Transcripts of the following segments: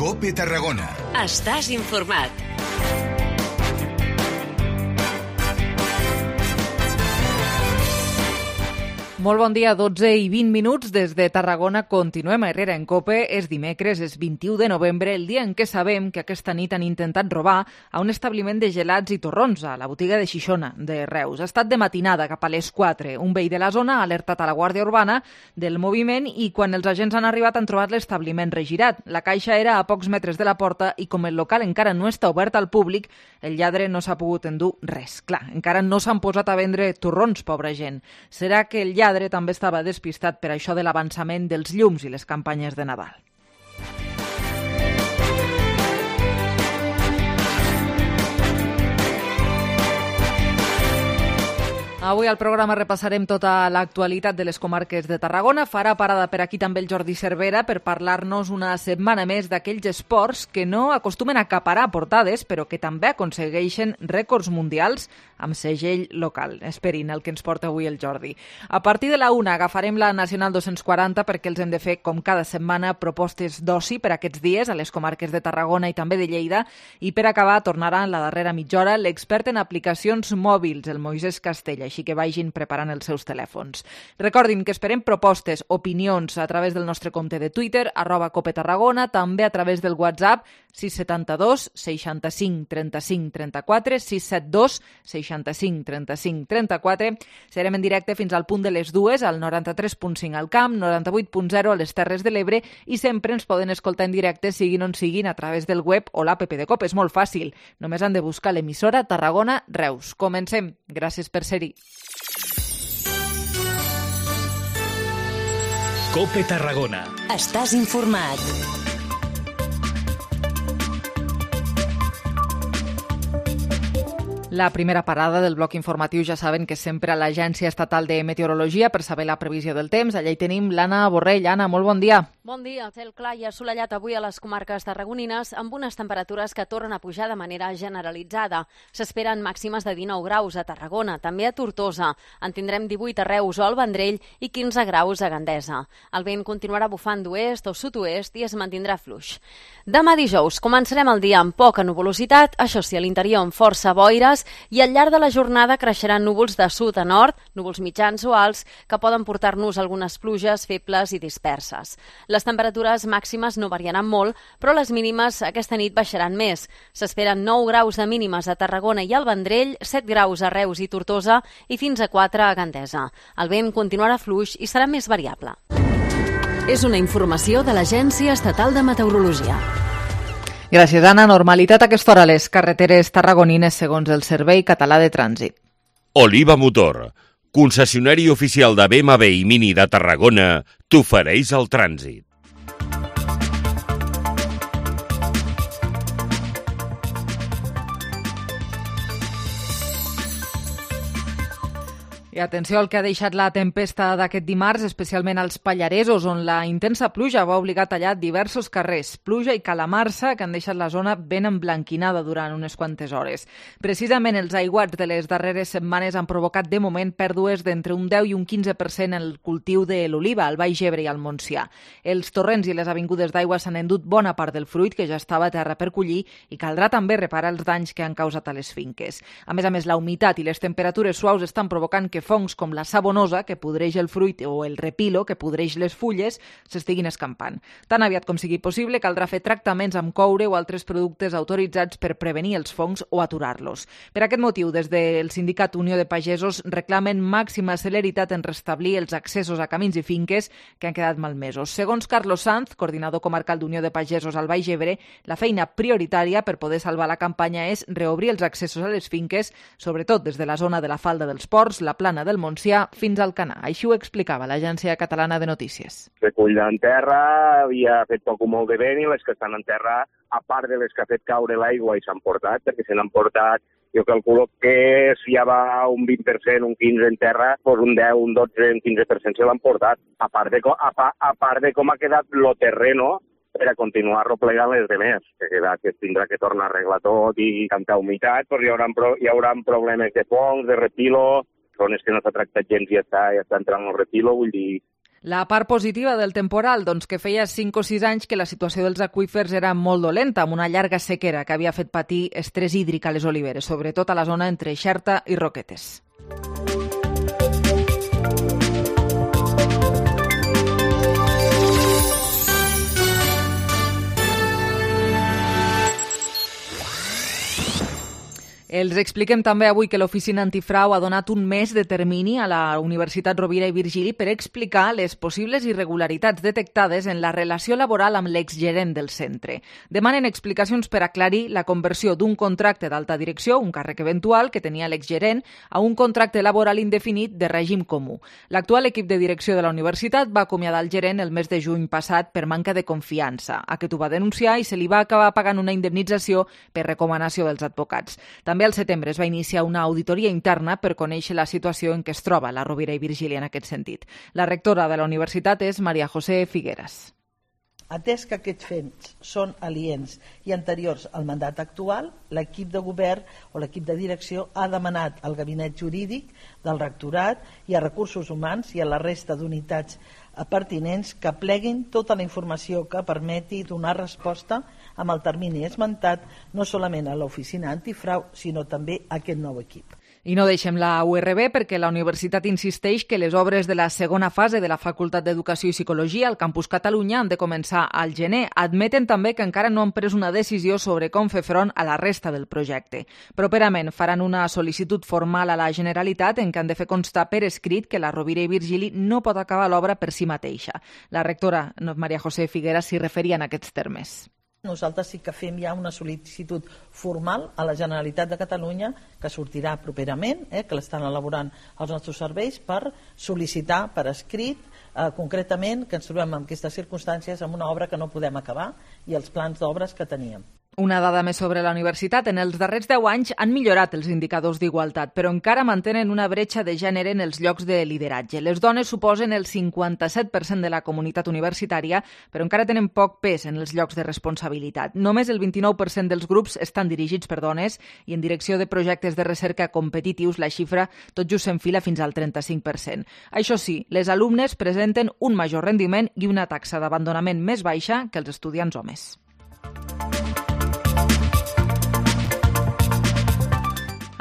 COPE Tarragona. Estàs informat. Molt bon dia, 12 i 20 minuts des de Tarragona. Continuem a Herrera en COPE. És dimecres, és 21 de novembre, el dia en què sabem que aquesta nit han intentat robar a un establiment de gelats i torrons, a la botiga de Xixona, de Reus. Ha estat de matinada, cap a les 4. Un veí de la zona ha alertat a la Guàrdia Urbana del moviment i quan els agents han arribat han trobat l'establiment regirat. La caixa era a pocs metres de la porta i com el local encara no està obert al públic, el lladre no s'ha pogut endur res. Clar, encara no s'han posat a vendre torrons, pobra gent. Serà que el lladre també estava despistat per això de l'avançament dels llums i les campanyes de Nadal. Avui al programa repassarem tota l'actualitat de les comarques de Tarragona. Farà parada per aquí també el Jordi Cervera per parlar-nos una setmana més d'aquells esports que no acostumen a acaparar portades, però que també aconsegueixen rècords mundials amb segell local. Esperin el que ens porta avui el Jordi. A partir de la 1 agafarem la Nacional 240 perquè els hem de fer, com cada setmana, propostes d'oci per aquests dies a les comarques de Tarragona i també de Lleida. I per acabar tornarà en la darrera mitja hora l'expert en aplicacions mòbils, el Moisès Castella, així que vagin preparant els seus telèfons. Recordin que esperem propostes, opinions a través del nostre compte de Twitter, @COPETarragona, també a través del WhatsApp 672 65 35 34, 672 65 35 34. Serem en directe fins al punt de les 2, al 93.5 al Camp, 98.0 a les Terres de l'Ebre i sempre ens poden escoltar en directe, siguin on siguin, a través del web o l'app de COPE. És molt fàcil, només han de buscar l'emissora Tarragona Reus. Comencem. Gràcies per ser-hi. COPE Tarragona. Estàs informat. La primera parada del bloc informatiu ja saben que és sempre a l'Agència Estatal de Meteorologia per saber la previsió del temps. Allà hi tenim l'Anna Borrell. Anna, molt bon dia. Bon dia. El cel clar i assolellat avui a les comarques tarragonines amb unes temperatures que tornen a pujar de manera generalitzada. S'esperen màximes de 19 graus a Tarragona, també a Tortosa. En tindrem 18 a Reus o al Vendrell i 15 graus a Gandesa. El vent continuarà bufant d'oest o sud-oest i es mantindrà fluix. Demà dijous començarem el dia amb poca nuvolositat, això sí, a l'interior amb força boires, i al llarg de la jornada creixeran núvols de sud a nord, núvols mitjans o alts, que poden portar-nos algunes pluges febles i disperses. Les temperatures màximes no variaran molt, però les mínimes aquesta nit baixaran més. S'esperen 9 graus de mínimes a Tarragona i al Vendrell, 7 graus a Reus i Tortosa i fins a 4 a Gandesa. El vent continuarà fluix i serà més variable. És una informació de l'Agència Estatal de Meteorologia. Gràcies, Anna. Normalitat a aquesta hora a les carreteres tarragonines segons el Servei Català de Trànsit. Oliva Motor, concessionari oficial de BMW i Mini de Tarragona, t'ofereix el trànsit. I atenció al que ha deixat la tempesta d'aquest dimarts, especialment als Pallaresos, on la intensa pluja va obligar a tallar diversos carrers. Pluja i calamarsa que han deixat la zona ben emblanquinada durant unes quantes hores. Precisament els aiguats de les darreres setmanes han provocat de moment pèrdues d'entre un 10 i un 15% en el cultiu de l'oliva, al Baix Ebre i al Montsià. Els torrents i les avingudes d'aigua s'han endut bona part del fruit que ja estava a terra per collir i caldrà també reparar els danys que han causat a les finques. A més, la humitat i les temperatures suaus estan provocant que fongs com la sabonosa, que podreix el fruit, o el repilo, que podreix les fulles, s'estiguin escampant. Tan aviat com sigui possible, caldrà fer tractaments amb coure o altres productes autoritzats per prevenir els fongs o aturar-los. Per aquest motiu, des del Sindicat Unió de Pagesos reclamen màxima celeritat en restablir els accessos a camins i finques que han quedat malmesos. Segons Carlos Sanz, coordinador comarcal d'Unió de Pagesos al Baix Ebre, la feina prioritària per poder salvar la campanya és reobrir els accessos a les finques, sobretot des de la zona de la Falda dels Ports, la Plana del Montsià fins al Canà. Així ho explicava l'Agència Catalana de Notícies. Recull en terra, havia fet poc o molt de vent i les que estan en terra, a part de les que ha fet caure l'aigua i s'han portat, perquè se n'han portat, jo calculo que si ja va un 20%, un 15% en terra, doncs un 10, un 12, un 15% se l'han portat. A part de com ha quedat el terreno per a continuar replegant les demés, que es tindrà que tornar a arreglar tot i tanta humitat, doncs hi haurà problemes de fongs, de repilo, zones que no s'ha tractat gens i ja està entrant el repilo, vull dir, La part positiva del temporal, doncs que feia 5 o 6 anys que la situació dels aqüífers era molt dolenta, amb una llarga sequera que havia fet patir estrès hídric a les oliveres, sobretot a la zona entre Xerta i Roquetes. Els expliquem també avui que l'Oficina Antifrau ha donat un mes de termini a la Universitat Rovira i Virgili per explicar les possibles irregularitats detectades en la relació laboral amb l'exgerent del centre. Demanen explicacions per aclarir la conversió d'un contracte d'alta direcció, un càrrec eventual que tenia l'exgerent, a un contracte laboral indefinit de règim comú. L'actual equip de direcció de la universitat va acomiadar el gerent el mes de juny passat per manca de confiança. Aquest ho va denunciar i se li va acabar pagant una indemnització per recomanació dels advocats. També al setembre es va iniciar una auditoria interna per conèixer la situació en què es troba la Rovira i Virgili en aquest sentit. La rectora de la universitat és Maria José Figueras. Atès que aquests fets són aliens i anteriors al mandat actual, l'equip de govern o l'equip de direcció ha demanat al gabinet jurídic del rectorat i a recursos humans i a la resta d'unitats pertinents que pleguin tota la informació que permeti donar resposta amb el termini esmentat no solament a l'oficina antifrau, sinó també a aquest nou equip. I no deixem la URB perquè la universitat insisteix que les obres de la segona fase de la Facultat d'Educació i Psicologia al Campus Catalunya han de començar al gener. Admeten també que encara no han pres una decisió sobre com fer front a la resta del projecte. Properament faran una sol·licitud formal a la Generalitat en què han de fer constar per escrit que la Rovira i Virgili no pot acabar l'obra per si mateixa. La rectora Maria José Figueras s'hi referia en aquests termes. Nosaltres sí que fem ja una sol·licitud formal a la Generalitat de Catalunya que sortirà properament, que l'estan elaborant els nostres serveis per sol·licitar per escrit concretament que ens trobem en aquestes circumstàncies amb una obra que no podem acabar i els plans d'obres que teníem. Una dada més sobre la universitat. En els darrers 10 anys han millorat els indicadors d'igualtat, però encara mantenen una bretxa de gènere en els llocs de lideratge. Les dones suposen el 57% de la comunitat universitària, però encara tenen poc pes en els llocs de responsabilitat. Només el 29% dels grups estan dirigits per dones i en direcció de projectes de recerca competitius la xifra tot just s'enfila fins al 35%. Això sí, les alumnes presenten un major rendiment i una taxa d'abandonament més baixa que els estudiants homes.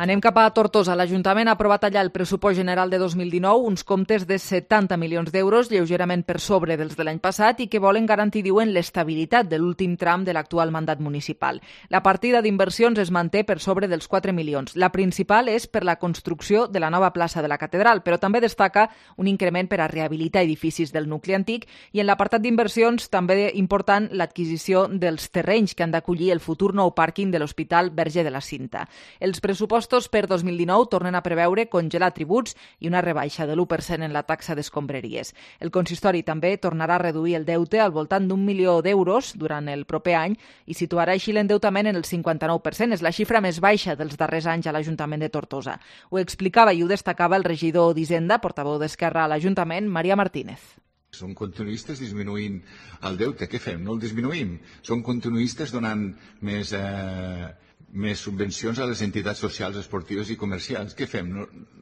Anem cap a Tortosa. L'Ajuntament ha aprovat allà el pressupost general de 2019, uns comptes de 70 milions d'euros, lleugerament per sobre dels de l'any passat, i que volen garantir, diuen, l'estabilitat de l'últim tram de l'actual mandat municipal. La partida d'inversions es manté per sobre dels 4 milions. La principal és per la construcció de la nova plaça de la Catedral, però també destaca un increment per a rehabilitar edificis del nucli antic i en l'apartat d'inversions també important l'adquisició dels terrenys que han d'acollir el futur nou pàrquing de l'Hospital Verge de la Cinta. Els pressupostos per 2019 tornen a preveure congelar tributs i una rebaixa de l'1% en la taxa d'escombraries. El consistori també tornarà a reduir el deute al voltant d'1 milió d'euros durant el proper any i situarà així l'endeutament en el 59%. És la xifra més baixa dels darrers anys a l'Ajuntament de Tortosa. Ho explicava i ho destacava el regidor d'Hisenda, portaveu d'Esquerra a l'Ajuntament, Maria Martínez. Són continuistes disminuint el deute. Què fem? No el disminuïm. Són continuistes donant més subvencions a les entitats socials, esportives i comercials. Què fem?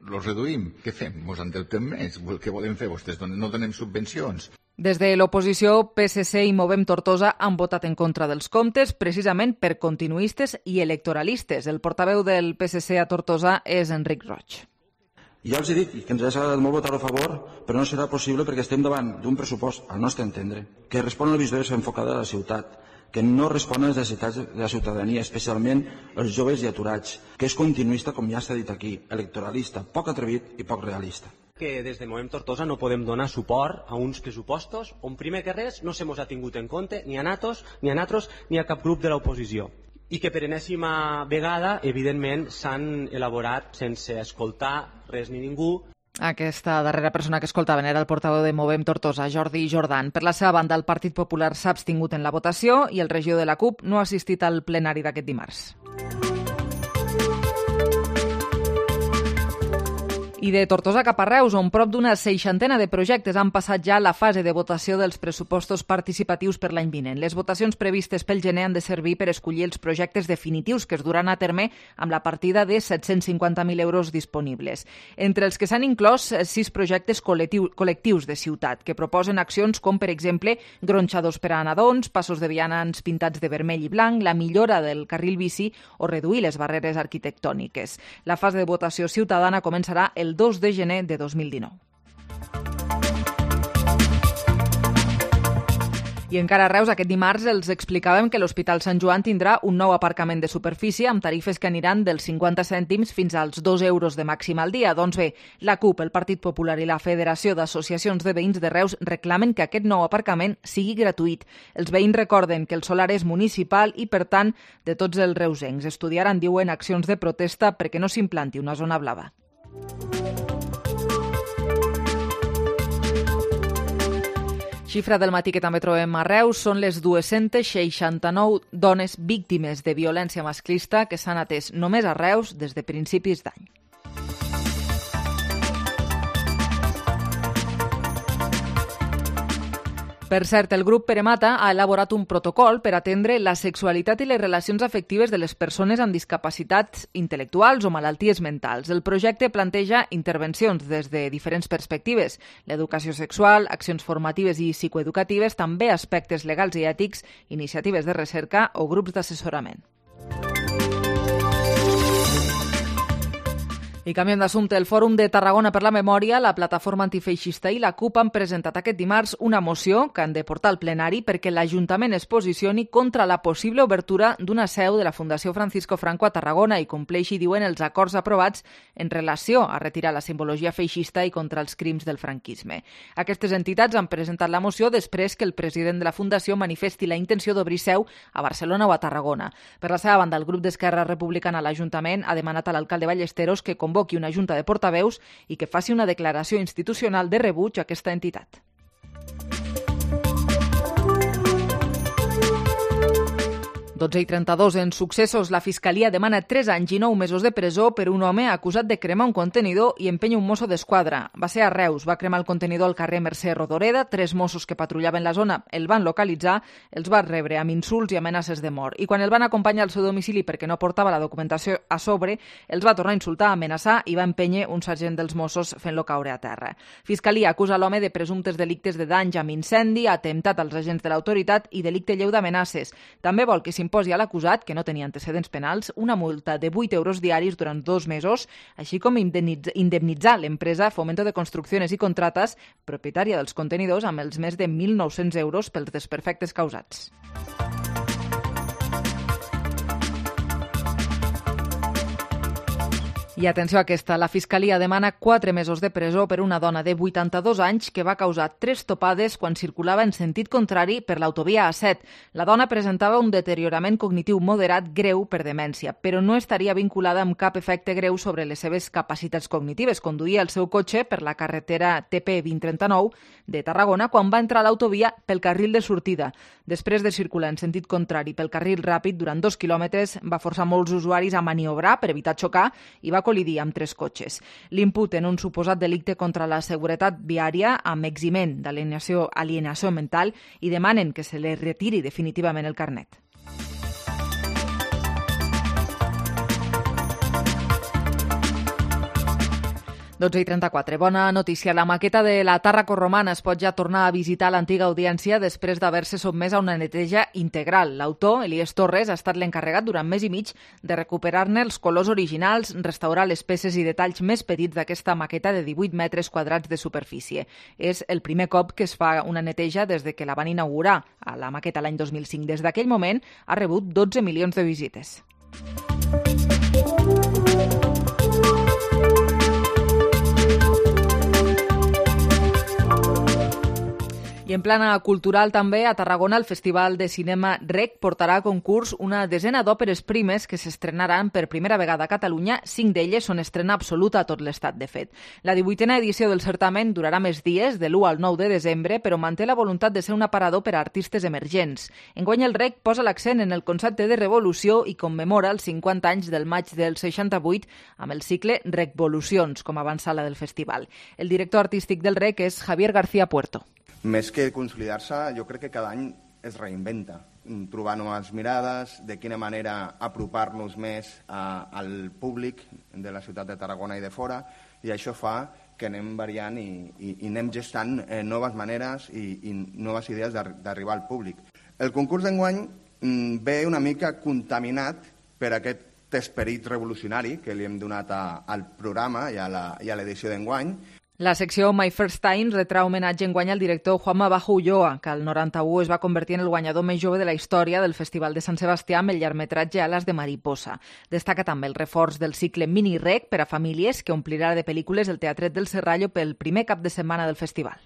Los reduïm? Què fem? Mos endeutem més? Què volen fer vostès? No donem subvencions? Des de l'oposició, PSC i Movem Tortosa han votat en contra dels comptes precisament per continuistes i electoralistes. El portaveu del PSC a Tortosa és Enric Roig. Ja els he dit que ens ha agradat molt votar a favor, però no serà possible perquè estem davant d'un pressupost, al nostre entendre, que respon a la visió enfocada a la ciutat, que no respon a les necessitats de la ciutadania, especialment els joves i aturats, que és continuista, com ja s'ha dit aquí, electoralista, poc atrevit i poc realista. Que des de Movem Tortosa no podem donar suport a uns pressupostos on primer que res no se mos ha tingut en compte ni a nosaltres ni a cap grup de l'oposició i que per enèsima vegada evidentment s'han elaborat sense escoltar res ni ningú. Aquesta darrera persona que escoltaven era el portaveu de Movem Tortosa, Jordi Jordan. Per la seva banda, el Partit Popular s'ha abstingut en la votació i el regidor de la CUP no ha assistit al plenari d'aquest dimarts. I de Tortosa cap a Reus, on prop d'una 60 de projectes han passat ja la fase de votació dels pressupostos participatius per l'any vinent. Les votacions previstes pel gener han de servir per escollir els projectes definitius que es duran a terme amb la partida de 750.000 euros disponibles. Entre els que s'han inclòs 6 projectes col·lectius de ciutat que proposen accions com, per exemple, gronxadors per a nadons, passos de vianants pintats de vermell i blanc, la millora del carril bici o reduir les barreres arquitectòniques. La fase de votació ciutadana començarà el 2 de gener de 2019. I encara a Reus, aquest dimarts, els explicàvem que l'Hospital Sant Joan tindrà un nou aparcament de superfície amb tarifes que aniran dels 50 cèntims fins als 2 euros de màxim al dia. Doncs bé, la CUP, el Partit Popular i la Federació d'Associacions de Veïns de Reus reclamen que aquest nou aparcament sigui gratuït. Els veïns recorden que el solar és municipal i, per tant, de tots els reusencs. Estudiaran, diuen, accions de protesta perquè no s'implanti una zona blava. Xifra del matí que també trobem a Reus són les 269 dones víctimes de violència masclista que s'han atès només a Reus des de principis d'any. Per cert, el grup Peremata ha elaborat un protocol per atendre la sexualitat i les relacions afectives de les persones amb discapacitats intel·lectuals o malalties mentals. El projecte planteja intervencions des de diferents perspectives: l'educació sexual, accions formatives i psicoeducatives, també aspectes legals i ètics, iniciatives de recerca o grups d'assessorament. I canviem d'assumpte. El Fòrum de Tarragona per la Memòria, la Plataforma Antifeixista i la CUP han presentat aquest dimarts una moció que han de portar al plenari perquè l'Ajuntament es posicioni contra la possible obertura d'una seu de la Fundació Francisco Franco a Tarragona i compleixi, diuen, els acords aprovats en relació a retirar la simbologia feixista i contra els crims del franquisme. Aquestes entitats han presentat la moció després que el president de la Fundació manifesti la intenció d'obrir seu a Barcelona o a Tarragona. Per la seva banda, el grup d'Esquerra Republicana a l'Ajuntament ha demanat a l'alcalde Ballesteros que convoqui una junta de portaveus i que faci una declaració institucional de rebuig a aquesta entitat. 12:32. En successos, la Fiscalia demana 3 anys i 9 mesos de presó per un home acusat de cremar un contenidor i empènyer un mosso d'esquadra. Va ser a Reus, va cremar el contenidor al carrer Mercè Rodoreda. 3 mossos que patrullaven la zona el van localitzar, els va rebre amb insults i amenaces de mort. I quan el van acompanyar al seu domicili perquè no portava la documentació a sobre, els va tornar a insultar, amenaçar i va empènyer un sergent dels Mossos fent-lo caure a terra. Fiscalia acusa l'home de presumptes delictes de danys amb incendi, atemptat als agents de l'autoritat i delicte lleu d'amenaces. També vol que s'imposi a l'acusat, que no tenia antecedents penals, una multa de 8 euros diaris durant 2 mesos, així com indemnitzar l'empresa Fomento de Construcciones i Contratas, propietària dels contenidors, amb els més de 1.900 euros pels desperfectes causats. I atenció a aquesta, la Fiscalia demana 4 mesos de presó per una dona de 82 anys que va causar 3 topades quan circulava en sentit contrari per l'autovia A7. La dona presentava un deteriorament cognitiu moderat greu per demència, però no estaria vinculada amb cap efecte greu sobre les seves capacitats cognitives. Conduïa el seu cotxe per la carretera TP 2039 de Tarragona quan va entrar a l'autovia pel carril de sortida. Després de circular en sentit contrari pel carril ràpid durant 2 quilòmetres, va forçar molts usuaris a maniobrar per evitar xocar i va col·lidir amb 3 cotxes. L'imputen un suposat delicte contra la seguretat viària amb eximent d'alienació mental i demanen que se li retiri definitivament el carnet. 12:34. Bona notícia. La maqueta de la Tàrraco Romana es pot ja tornar a visitar l'antiga audiència després d'haver-se sotmès a una neteja integral. L'autor, Elies Torres, ha estat l'encarregat durant mes i mig de recuperar-ne els colors originals, restaurar les peces i detalls més petits d'aquesta maqueta de 18 metres quadrats de superfície. És el primer cop que es fa una neteja des de que la van inaugurar a la maqueta l'any 2005. Des d'aquell moment ha rebut 12 milions de visites. I I en plana cultural també, a Tarragona, el Festival de Cinema REC portarà a concurs una desena d'òperes primes que s'estrenaran per primera vegada a Catalunya. 5 d'elles són estrena absoluta a tot l'estat, de fet. La 18a edició del certamen durarà més dies, de l'1 al 9 de desembre, però manté la voluntat de ser un aparador per a artistes emergents. Enguany el REC posa l'accent en el concepte de revolució i commemora els 50 anys del maig del 68 amb el cicle RECvolucions, com a avançala del festival. El director artístic del REC és Javier García Puerto. Més que consolidar-se, jo crec que cada any es reinventa, trobar noves mirades, de quina manera apropar-nos més al públic de la ciutat de Tarragona i de fora, i això fa que anem variant i anem gestant noves maneres i noves idees d'arribar al públic. El concurs d'enguany ve una mica contaminat per aquest esperit revolucionari que li hem donat al programa i a l'edició d'enguany. La secció My First Time retrà homenatge enguany al director Juanma Bajo Ulloa, que al 91 es va convertir en el guanyador més jove de la història del Festival de Sant Sebastià amb el llargmetratge Alas de Mariposa. Destaca també el reforç del cicle Mini Rec per a famílies, que omplirà de pel·lícules el Teatret del Serrallo pel primer cap de setmana del festival.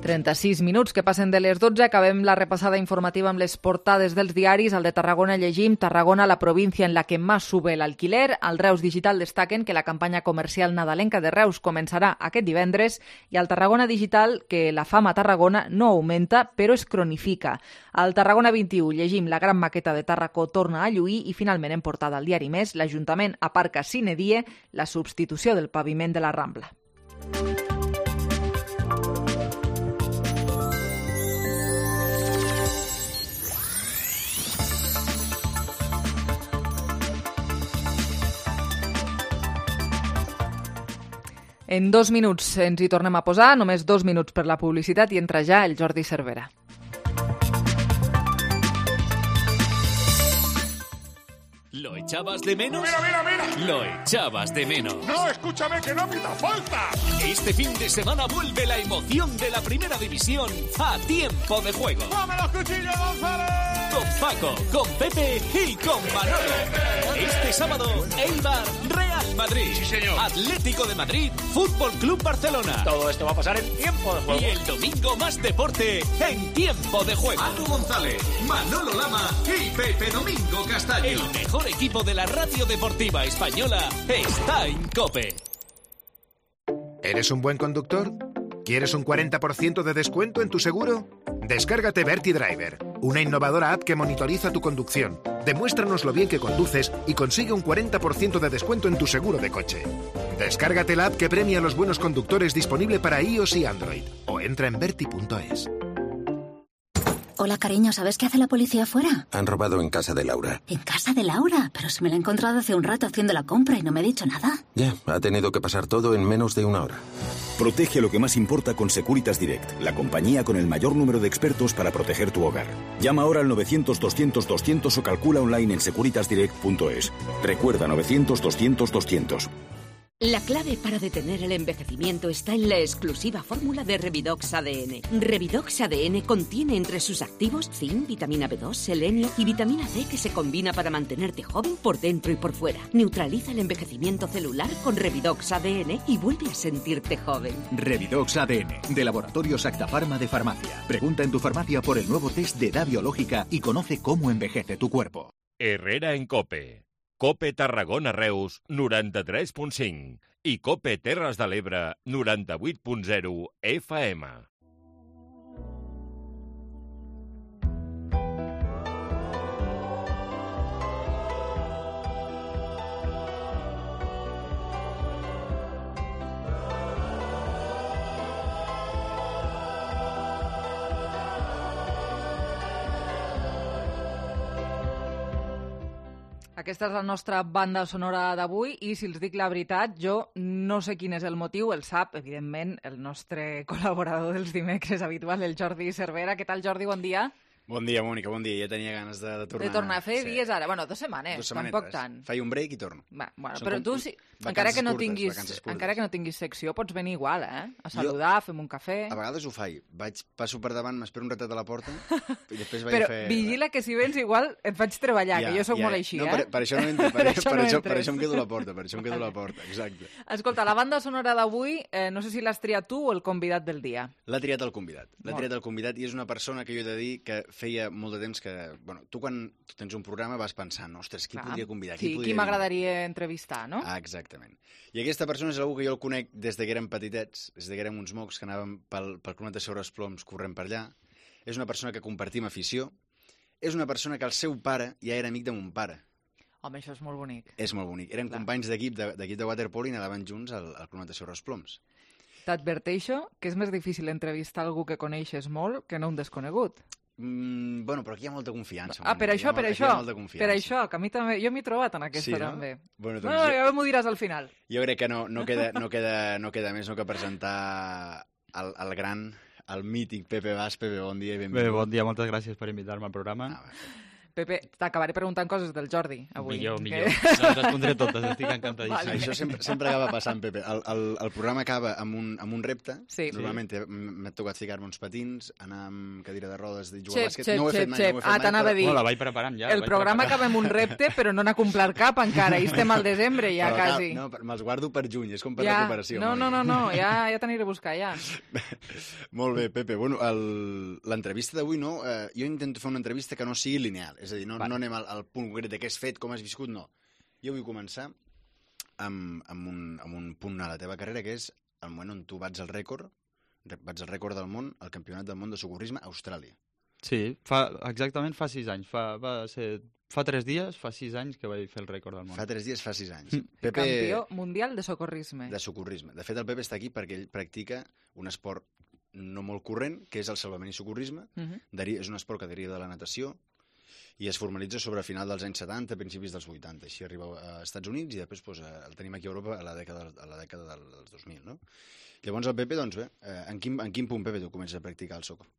36 minuts que passen de les 12. Acabem la repassada informativa amb les portades dels diaris. Al de Tarragona llegim: Tarragona, la província en la que más sube el alquiler. Al Reus Digital destaquen que la campanya comercial nadalenca de Reus començarà aquest divendres, i al Tarragona Digital que la fam a Tarragona no augmenta, però es cronifica. Al Tarragona 21 llegim: la gran maqueta de Tàrraco torna a lluir, i finalment en portada al diari Més, l'Ajuntament aparca sine die la substitució del paviment de la Rambla. En 2 minuts ens hi tornem a posar, només 2 minuts per la publicitat, i entra ja el Jordi Cervera. ¿Lo echabas de menos? ¡Mira! Lo echabas de menos. No, escúchame, que no pita falta. Este fin de semana vuelve la emoción de la Primera División a Tiempo de Juego. ¡Dame los cuchillos, González! Con Paco, con Pepe y con Manolo. Este sábado, Eibar, Real Madrid. Sí, señor. Atlético de Madrid, Fútbol Club Barcelona. Todo esto va a pasar en Tiempo de Juego. Y el domingo más deporte en Tiempo de Juego. Manu González, Manolo Lama y Pepe Domingo Castaño. El mejor equipo de la radio deportiva española está en COPE. ¿Eres un buen conductor? ¿Quieres un 40% de descuento en tu seguro? Descárgate Verti Driver, una innovadora app que monitoriza tu conducción. Demuéstranos lo bien que conduces y consigue un 40% de descuento en tu seguro de coche. Descárgate la app que premia a los buenos conductores, disponible para iOS y Android, o entra en verti.es. Hola, cariño, ¿sabes qué hace la policía afuera? Han robado en casa de Laura. ¿En casa de Laura? Pero si me la he encontrado hace un rato haciendo la compra y no me ha dicho nada. Ya, ha tenido que pasar todo en menos de una hora. Protege lo que más importa con Securitas Direct, la compañía con el mayor número de expertos para proteger tu hogar. Llama ahora al 900-200-200 o calcula online en securitasdirect.es. Recuerda, 900-200-200. La clave para detener el envejecimiento está en la exclusiva fórmula de Revidox ADN. Revidox ADN contiene entre sus activos zinc, vitamina B2, selenio y vitamina C, que se combina para mantenerte joven por dentro y por fuera. Neutraliza el envejecimiento celular con Revidox ADN y vuelve a sentirte joven. Revidox ADN, de Laboratorios Acta Pharma de Farmacia. Pregunta en tu farmacia por el nuevo test de edad biológica y conoce cómo envejece tu cuerpo. Herrera en COPE. COPE Tarragona Reus 93.5 i COPE Terres de l'Ebre 98.0 FM. Aquesta és la nostra banda sonora d'avui, i si els dic la veritat, jo no sé quin és el motiu, el sap, evidentment, el nostre col·laborador dels dimecres habitual, el Jordi Cervera. Què tal, Jordi? Bon dia. Bon dia, Mònica, bon dia. Ja tenia ganes de tornar. De tornar a fer dies ara. Bueno, 2 setmanes, tampoc tant. Faig un break i torno. Bueno, però tu, encara que no tinguis secció, pots venir igual, a saludar, fem un cafè... A vegades ho faig. Passo per davant, m'espero un ratet a la porta i després vaig però a fer... Però vigila que si vens igual et faig treballar, que jo sóc molt així, no, per això no entro, per això em quedo a la porta, exacte. Escolta, la banda sonora d'avui, no sé si l'has triat tu o el convidat del dia. L'ha triat el convidat i és una persona que jo he de dir que feia molt de temps que... Bueno, tu quan tens un programa vas pensant, ostres, qui podria convidar? Qui m'agradaria entrevistar, no? Ah, exactament. I aquesta persona és algú que jo el conec des que érem petitets, des que érem uns mocs que anàvem pel Club Natació Ploms corrent per allà. És una persona que compartim afició. És una persona que el seu pare ja era amic de mon pare. Home, això és molt bonic. És molt bonic. Eren companys d'equip de waterpolo i anaven junts al Club Natació Ploms. T'adverteixo que és més difícil entrevistar algú que coneixes molt que no un desconegut. Bueno, però aquí hi ha molta confiança. Per això, que a mi també, jo m'he trobat en aquesta també. Bueno, doncs ja m'ho diràs al final. Jo crec que no queda més que presentar el gran, el mític Pepe Bas. Pepe, bon dia i benvingut. Bé, bon dia, moltes gràcies per invitar-me al programa. Pepe, t'acabaré preguntant coses del Jordi, avui. Millor. Les respondré totes, estic encantadíssim. Vale. Això sempre acaba passant, Pepe. El programa acaba amb un repte. Sí. Normalment m'ha tocat ficar-me uns patins, anar amb cadira de rodes i jugar a bàsquet. No ho he fet mai. T'anava a dir. La vaig preparant ja. El programa acaba amb un repte, però no n'ha complert cap encara. I estem al desembre ja, quasi. No, me'ls guardo per juny, és com per recuperació. No, ja t'aniré a buscar, ja. Molt bé, Pepe. Bueno, l'entrevista d'avui, no? Jo intento fer una entrevista que no sigui lineal. És a dir, no anem al punt concret de què has fet, com has viscut, no. Jo vull començar amb un punt a la teva carrera, que és el moment on tu bats el rècord del món, el campionat del món de socorrisme a Austràlia. Sí, exactament fa 6 anys. Fa 3 dies, fa 6 anys que vaig fer el rècord del món. Fa 3 dies, fa 6 anys. Pepe... Campió mundial de socorrisme. De socorrisme. De fet, el Pepe està aquí perquè ell practica un esport no molt corrent, que és el salvament i socorrisme. És un esport que deriva de la natació, i es formalitza sobre el final dels anys 70, principis dels 80. Així arriba als Estats Units i després el tenim aquí a Europa a la dècada dels 2000, no? Llavors el Pepe, doncs bé, en quin punt, Pepe, tu comences a practicar el soco?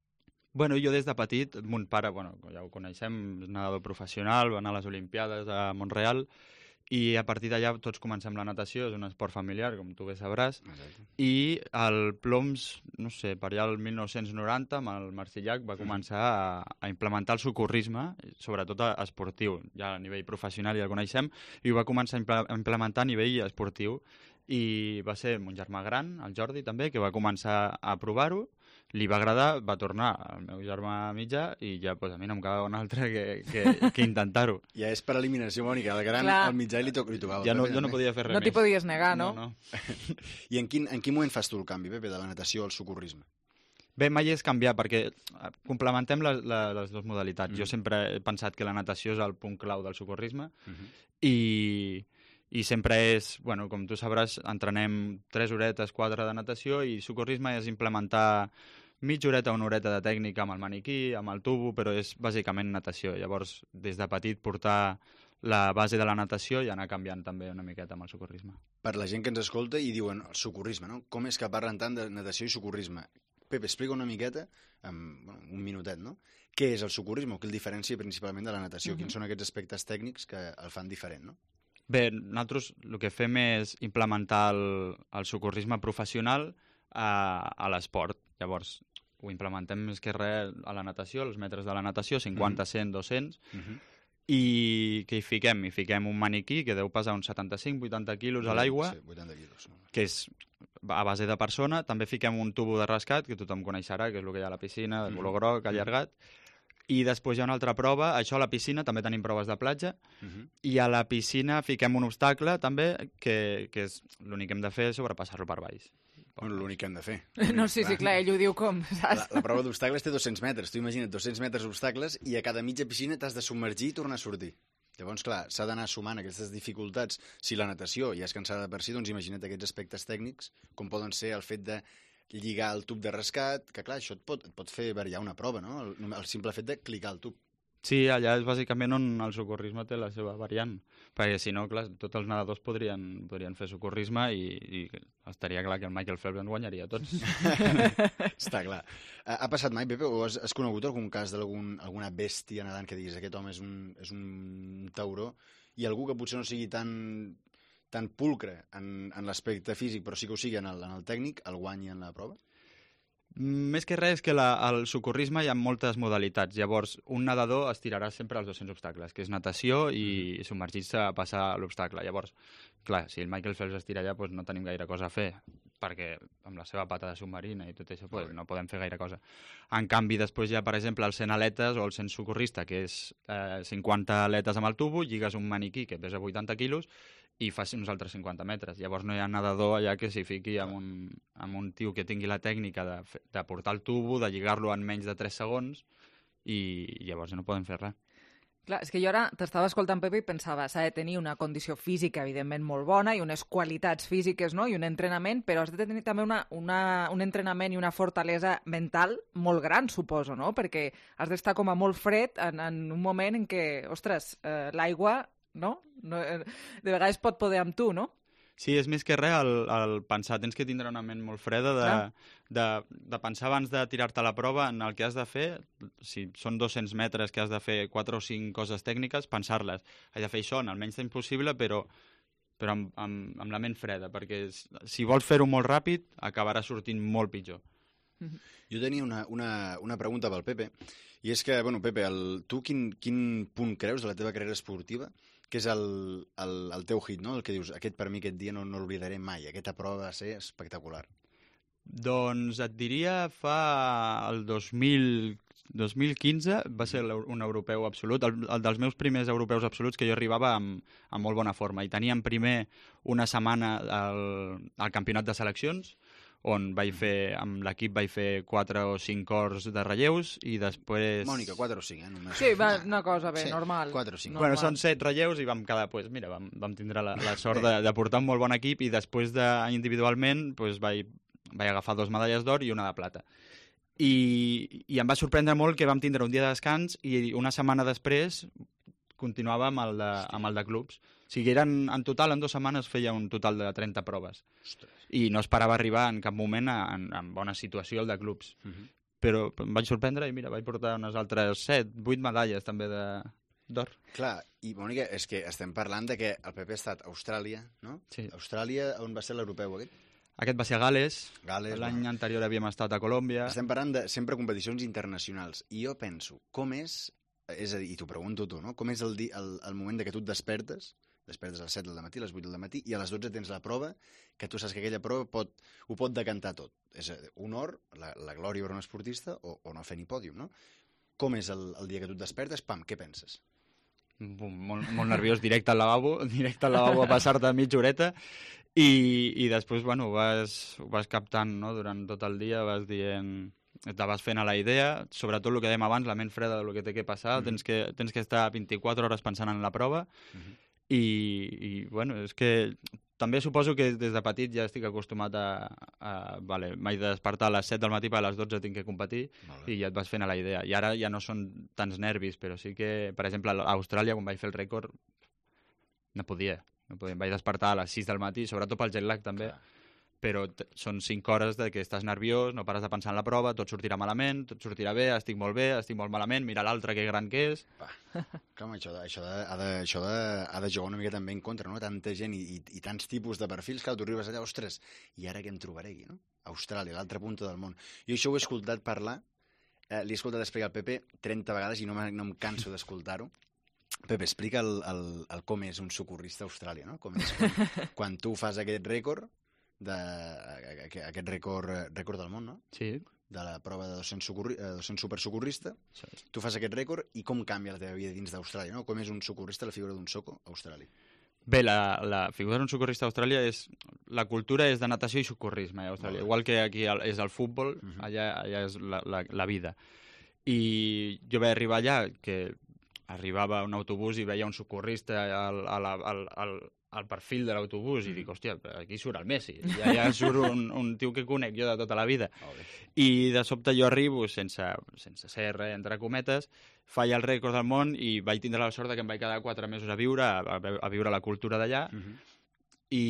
Bueno, jo des de petit, mon pare, ja ho coneixem, és nedador professional, va anar a les Olimpiades a Montreal, i a partir d'allà tots comencem la natació, és un esport familiar, com tu bé sabràs. Exacte. I el Ploms, no sé, per allà el 1990, amb el Marcillac, va començar a implementar el socorrisme, sobretot esportiu. Ja a nivell professional ja el coneixem, i ho va començar a implementar a nivell esportiu. I va ser mon germà gran, el Jordi també, que va començar a provar-ho, li va agradar, va tornar al meu germà mitjà i ja a mi no em quedava un altre que intentar-ho. Ja és per eliminació, Mònica, el gran al mitjà li tocava. Ja no podia fer res més. No t'hi podies negar, no? I en quin moment fas tu el canvi, Pepe, de la natació al socorrisme? Bé, mai és canviar, perquè complementem les dues modalitats. Jo sempre he pensat que la natació és el punt clau del socorrisme i sempre és, com tu sabràs, entrenem 3 horetes, 4 de natació i socorrisme és implementar mitja horeta o una horeta de tècnica amb el maniquí, amb el tubo, però és bàsicament natació. Llavors, des de petit portar la base de la natació i anar canviant també una miqueta amb el socorrisme. Per la gent que ens escolta i diuen el socorrisme, no? Com és que parlen tant de natació i socorrisme? Pepe, explica una miqueta, un minutet, no? Què és el socorrisme o què el diferencia principalment de la natació? Quins són aquests aspectes tècnics que el fan diferent, no? Bé, nosaltres el que fem és implementar el socorrisme professional a l'esport. Llavors, ho implementem més que res a la natació, als metres de la natació, 50, 100, 200, i què hi fiquem? Hi fiquem un maniquí que deu pesar uns 75-80 quilos a l'aigua, sí, 80 quilos. Que és a base de persona. També fiquem un tubo de rescat, que tothom coneixerà, que és el que hi ha a la piscina, de color groc, allargat. I després hi ha una altra prova, això a la piscina, també tenim proves de platja, i a la piscina fiquem un obstacle també, que és l'únic que hem de fer és sobrepassar-lo per baix. Bueno, l'únic que hem de fer. No, sí, clar, ell ho diu com, saps? La prova d'obstacles té 200 metres. Tu imagina't 200 metres d'obstacles i a cada mitja piscina t'has de submergir i tornar a sortir. Llavors, clar, s'ha d'anar sumant aquestes dificultats. Si la natació ja és cansada per si, doncs imagina't aquests aspectes tècnics, com poden ser el fet de lligar el tub de rescat, que clar, això et pot fer variar una prova, no? El simple fet de clicar el tub. Sí, allà és bàsicament on el socorrisme té la seva variant, perquè si no, clar, tots els nedadors podrien fer socorrisme i estaria clar que el Michael Phelps en guanyaria tots. Està clar. Ha passat mai, Pepe, o has conegut algun cas d'alguna bèstia nedant que diguis aquest home és un tauró, i algú que potser no sigui tan pulcre en l'aspecte físic, però sí que ho sigui en el tècnic, el guanyi en la prova? Més que res és que al socorrisme hi ha moltes modalitats. Llavors, un nedador es tirarà sempre als 200 obstacles, que és natació i submergir-se a passar l'obstacle. Llavors, clar, si el Michael Phelps es tira allà, doncs no tenim gaire cosa a fer, perquè amb la seva pata de submarina i tot això no podem fer gaire cosa. En canvi, després hi ha, per exemple, el 100 aletes o el 100 socorrista, que és 50 aletes amb el tubo, lligues un maniquí que pesa 80 quilos i fas uns altres 50 metres. Llavors no hi ha nedador allà que s'hi fiqui amb un tio que tingui la tècnica de portar el tubo, de lligar-lo en menys de 3 segons i llavors no podem fer res. Clar, és que jo ara t'estava escoltant, Pepe, i pensava, s'ha de tenir una condició física, evidentment, molt bona i unes qualitats físiques, no?, i un entrenament, però has de tenir també un entrenament i una fortalesa mental molt gran, suposo, no?, perquè has d'estar com a molt fred en un moment en què, ostres, l'aigua, no? De vegades pot poder amb tu, no? Sí, és més que res el pensar. Tens que tindre una ment molt freda de pensar abans de tirar-te a la prova en el que has de fer. Si són 200 metres que has de fer 4 o 5 coses tècniques, pensar-les. Has de fer això en el menys temps possible, però amb la ment freda, perquè si vols fer-ho molt ràpid, acabarà sortint molt pitjor. Jo tenia una pregunta pel Pepe, i és que, bueno, Pepe, tu quin punt creus de la teva carrera esportiva que és el teu hit, no? El que dius, per mi aquest dia no l'oblidaré mai, aquesta prova va ser espectacular. Doncs et diria el 2015 va ser un europeu absolut, el dels meus primers europeus absoluts, que jo arribava amb molt bona forma, i teníem primer una setmana al campionat de seleccions, on amb l'equip vaig fer 4 o 5 cors de relleus i després... Mònica, 4 o 5, només. Sí, va, una cosa bé, normal. 4 o 5. Bueno, són 7 relleus i vam quedar, mira, vam tindre la sort de portar un molt bon equip i després individualment vaig agafar 2 medalles d'or i una de plata. I em va sorprendre molt que vam tindre un dia de descans i una setmana després continuava amb el de clubs. O sigui, en total, en 2 setmanes feia un total de 30 proves. Ostres. I no esperava arribar en cap moment en bona situació el de clubs. Però em vaig sorprendre i mira, vaig portar unes altres 7, 8 medalles també d'or. Clar, i Mònica, és que estem parlant de que el Pepe ha estat a Austràlia, no? Sí. Austràlia, on va ser l'europeu aquest? Aquest va ser a Gal·les. L'any anterior havíem estat a Colòmbia. Estem parlant de sempre competicions internacionals. I jo penso, com és a dir, i t'ho pregunto tu, no? Com és el moment que tu et despertes a les 7 del matí, a les 8 del matí, i a les 12 tens la prova, que tu saps que aquella prova ho pot decantar tot. És un honor, la glòria per un esportista, o no fer ni pòdium, no? Com és el dia que tu et despertes? Pam, què penses? Molt nerviós, directe al lavabo a passar-te mitja horeta, i després, bueno, ho vas captant, no?, durant tot el dia, vas dient... te vas fent a la idea, sobretot el que dèiem abans, la ment freda del que té que passar, tens que estar 24 hores pensant en la prova, i bueno, és que també suposo que des de petit ja estic acostumat m'he de despertar a les 7 del matí, per a les 12 tinc que competir, i ja et vas fent a la idea. I ara ja no són tants nervis, però sí que, per exemple, a Austràlia, quan vaig fer el rècord, no podia. Em vaig despertar a les 6 del matí, sobretot pel jet lag també, però són 5 hores de que estàs nerviós, no pares de pensar en la prova, tot sortirà malament, tot sortirà bé, estic molt malament, mira l'altre que gran que és. Clar, això ha de jugar una mica també en contra, no? Tanta gent i tants tipus de perfils, que tu arribes allà, ostres, i ara què em trobaré aquí, no? Austràlia, l'altra punta del món. Jo això ho he escoltat parlar, li he escoltat explicar al Pepe 30 vegades i no em canso d'escoltar-ho. Pepe, explica com és un socorrista a Austràlia, no? Com és quan tu fas aquest rècord, aquest rècord del món, no? Sí. De la prova de 200 supersocorrista. Sí. Tu fas aquest rècord i com canvia la teva vida dins d'Austràlia, no? Com és un socorrista, la figura d'un soco a Austràlia? Bé, la figura d'un socorrista a Austràlia la cultura és de natació i socorrisme a Austràlia. Igual que aquí és el futbol, allà és la vida. I jo vaig arribar allà, que arribava a un autobús i veia un socorrista al perfil de l'autobús i dic, hòstia, aquí surt el Messi, ja surt un tio que conec jo de tota la vida. I de sobte jo arribo, sense ser res, entre cometes, faig el rècord del món i vaig tindre la sort que em vaig quedar 4 mesos a viure la cultura d'allà, i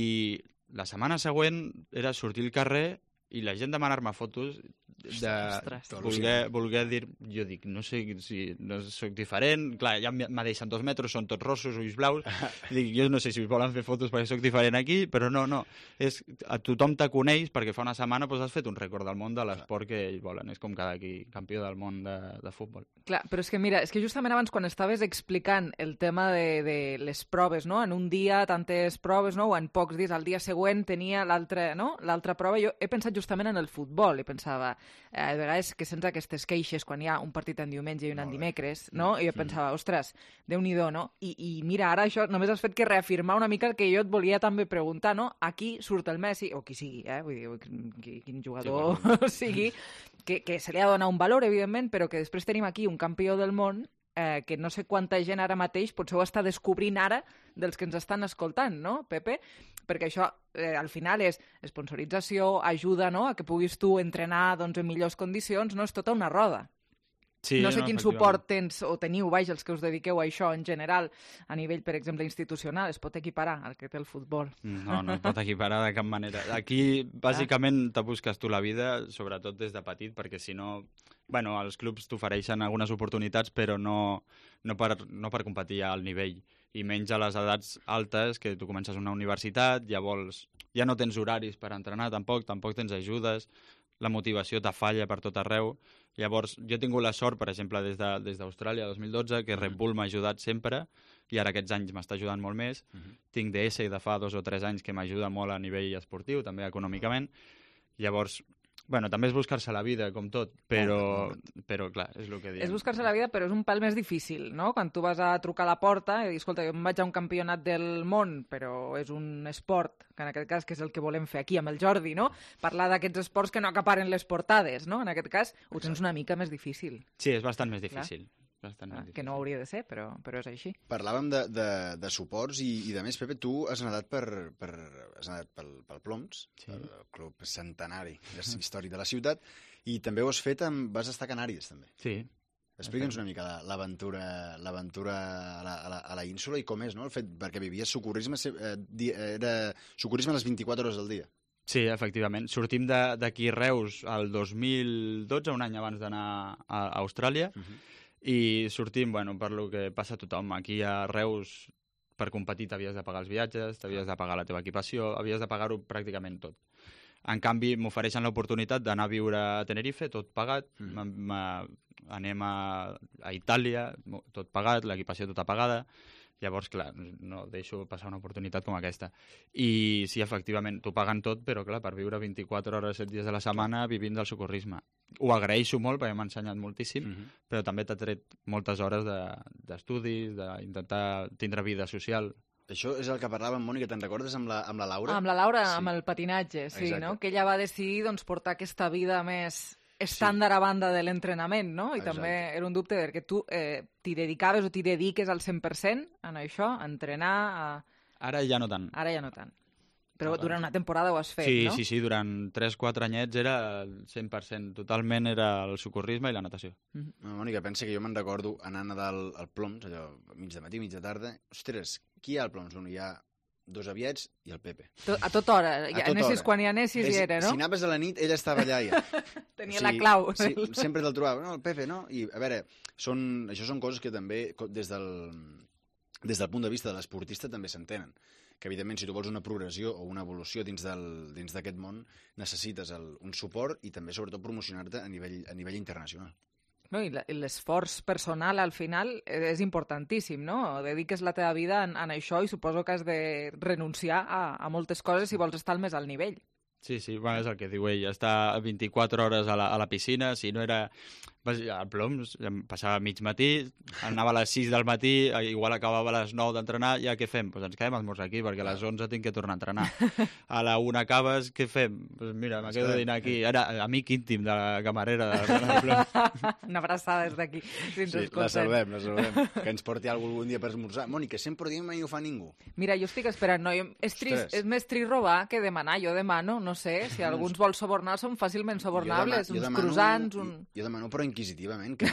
la setmana següent era sortir al carrer i la gent demanar-me fotos de voler dir, jo dic, no sé si no soc diferent, clar, ja me deixen 2 metres, són tots rossos, ulls blaus, dic, jo no sé si volen fer fotos perquè soc diferent aquí, però no, a tothom te coneix perquè fa una setmana has fet un rècord del món de l'esport que ells volen, és com cada aquí campió del món de futbol. Clar, però és que mira, justament abans quan estaves explicant el tema de les proves, no? En un dia tantes proves, no? O en pocs dies, al dia següent tenia l'altra prova, jo he pensat justament en el futbol, i pensava, a vegades que sents aquestes queixes quan hi ha un partit en diumenge i un en dimecres, no? I jo pensava, ostres, Déu-n'hi-do, no? I mira, ara això només has fet que reafirmar una mica el que jo et volia també preguntar, no? Aquí surt el Messi, o qui sigui, vull dir, quin jugador sigui, que se li ha de donar un valor, evidentment, però que després tenim aquí un campió del món que no sé quanta gent ara mateix potser ho està descobrint ara dels que ens estan escoltant, no, Pepe? Perquè això al final és sponsorització, ajuda, no?, a que puguis tu entrenar en millors condicions, no? És tota una roda. Sí, no sé quin suport tens o teniu, els que us dediqueu a això en general, a nivell, per exemple, institucional. Es pot equiparar al que té el futbol? No es pot equiparar de cap manera. Aquí, bàsicament, te busques tu la vida, sobretot des de petit, perquè si no... Bueno, els clubs t'ofereixen algunes oportunitats, però no per competir al nivell. I menys a les edats altes, que tu comences una universitat, ja no tens horaris per entrenar, tampoc tens ajudes, la motivació te falla per tot arreu. Llavors, jo he tingut la sort, per exemple, des d'Austràlia, 2012, que Red Bull m'ha ajudat sempre, i ara aquests anys m'està ajudant molt més. Tinc DS de fa 2 o 3 anys que m'ajuda molt a nivell esportiu, també econòmicament. Llavors, bueno, també és buscar-se la vida, com tot, però clar, és el que diem. És buscar-se la vida, però és un pèl més difícil, no? Quan tu vas a trucar a la porta i dir, escolta, jo em vaig a un campionat del món, però és un esport, que en aquest cas que és el que volem fer aquí amb el Jordi, no? Parlar d'aquests esports que no acaparen les portades, no? En aquest cas ho tens una mica més difícil. Sí, és bastant més difícil. Que no hauria de ser, però és així. Parlàvem de suports i de més, Pepe, tu has nedat pel Ploms, el club centenari històric de la ciutat, i també ho has fet vas estar a Canàries, també. Sí. Explica'ns una mica l'aventura a la ínsula i com és, no? El fet, perquè vivies socorrisme, era socorrisme a les 24 hores del dia. Sí, efectivament. Sortim d'aquí Reus el 2012, un any abans d'anar a Austràlia, i sortim, per lo que passa a tothom. Aquí a Reus, per competir, t'havies de pagar els viatges, t'havies de pagar la teva equipació, havies de pagar-ho pràcticament tot. En canvi, m'ofereixen l'oportunitat d'anar a viure a Tenerife, tot pagat, anem a Itàlia, tot pagat, l'equipació tota pagada. Llavors, clar, no deixo passar una oportunitat com aquesta. I sí, efectivament, t'ho paguen tot, però clar, per viure 24 hores, 7 dies de la setmana vivint del socorrisme. Ho agraeixo molt perquè m'ha ensenyat moltíssim, però també t'ha tret moltes hores d'estudis, d'intentar tindre vida social. Això és el que parlàvem, Mònica, te'n recordes amb la Laura? Amb la Laura, amb el patinatge, sí, no? Que ella va decidir portar aquesta vida més estàndard a banda de l'entrenament, no? I també era un dubte perquè tu t'hi dedicaves o t'hi dediques al 100% en això, a entrenar... Ara ja no tant. Ara ja no tant. Però durant una temporada ho has fet, no? Sí, durant 3-4 anyets era el 100%, totalment era el socorrisme i la natació. Mònica, pensa que jo me'n recordo anant al Ploms, allò, mig de matí, mig de tarda. Ostres, qui hi ha al Ploms? Hi ha 2 aviets i el Pepe. A tota hora. Anessis quan hi anessis hi era, no? Si anaves a la nit, ell estava allà ja. Tenia la clau. Sí, sempre te'l trobava. No, el Pepe, no? I, a veure, això són coses que també, des del punt de vista de l'esportista, també s'entenen. Que, evidentment, si tu vols una progressió o una evolució dins d'aquest món, necessites un suport i també, sobretot, promocionar-te a nivell internacional. No, i l'esforç personal al final és importantíssim, no? Dediques la teva vida en això i suposo que has de renunciar a moltes coses si vols estar al més alt nivell. Sí, és el que diu ell, estar 24 hores a la piscina, si no era... Al Ploms em passava mig matí, anava a les 6 del matí, igual acabava a les 9 d'entrenar, ja què fem? Ens quedem a esmorzar aquí, perquè a les 11 tinc que tornar a entrenar. A la 1 acabes, què fem? Mira, me quedo de dinar aquí. Ara, amic íntim de la camarera del Ploms. Una abraçada des d'aquí. Sí, la saludem. Que ens porti algun dia per esmorzar. Mònica, sempre diem i no ho fa ningú. Mira, jo estic esperant, no? És més trist robar que demanar. Jo demano, no sé, si algú ens vol subornar, són fàcilment subornables. Uns croissants, Jo demano, però inquisitivament, que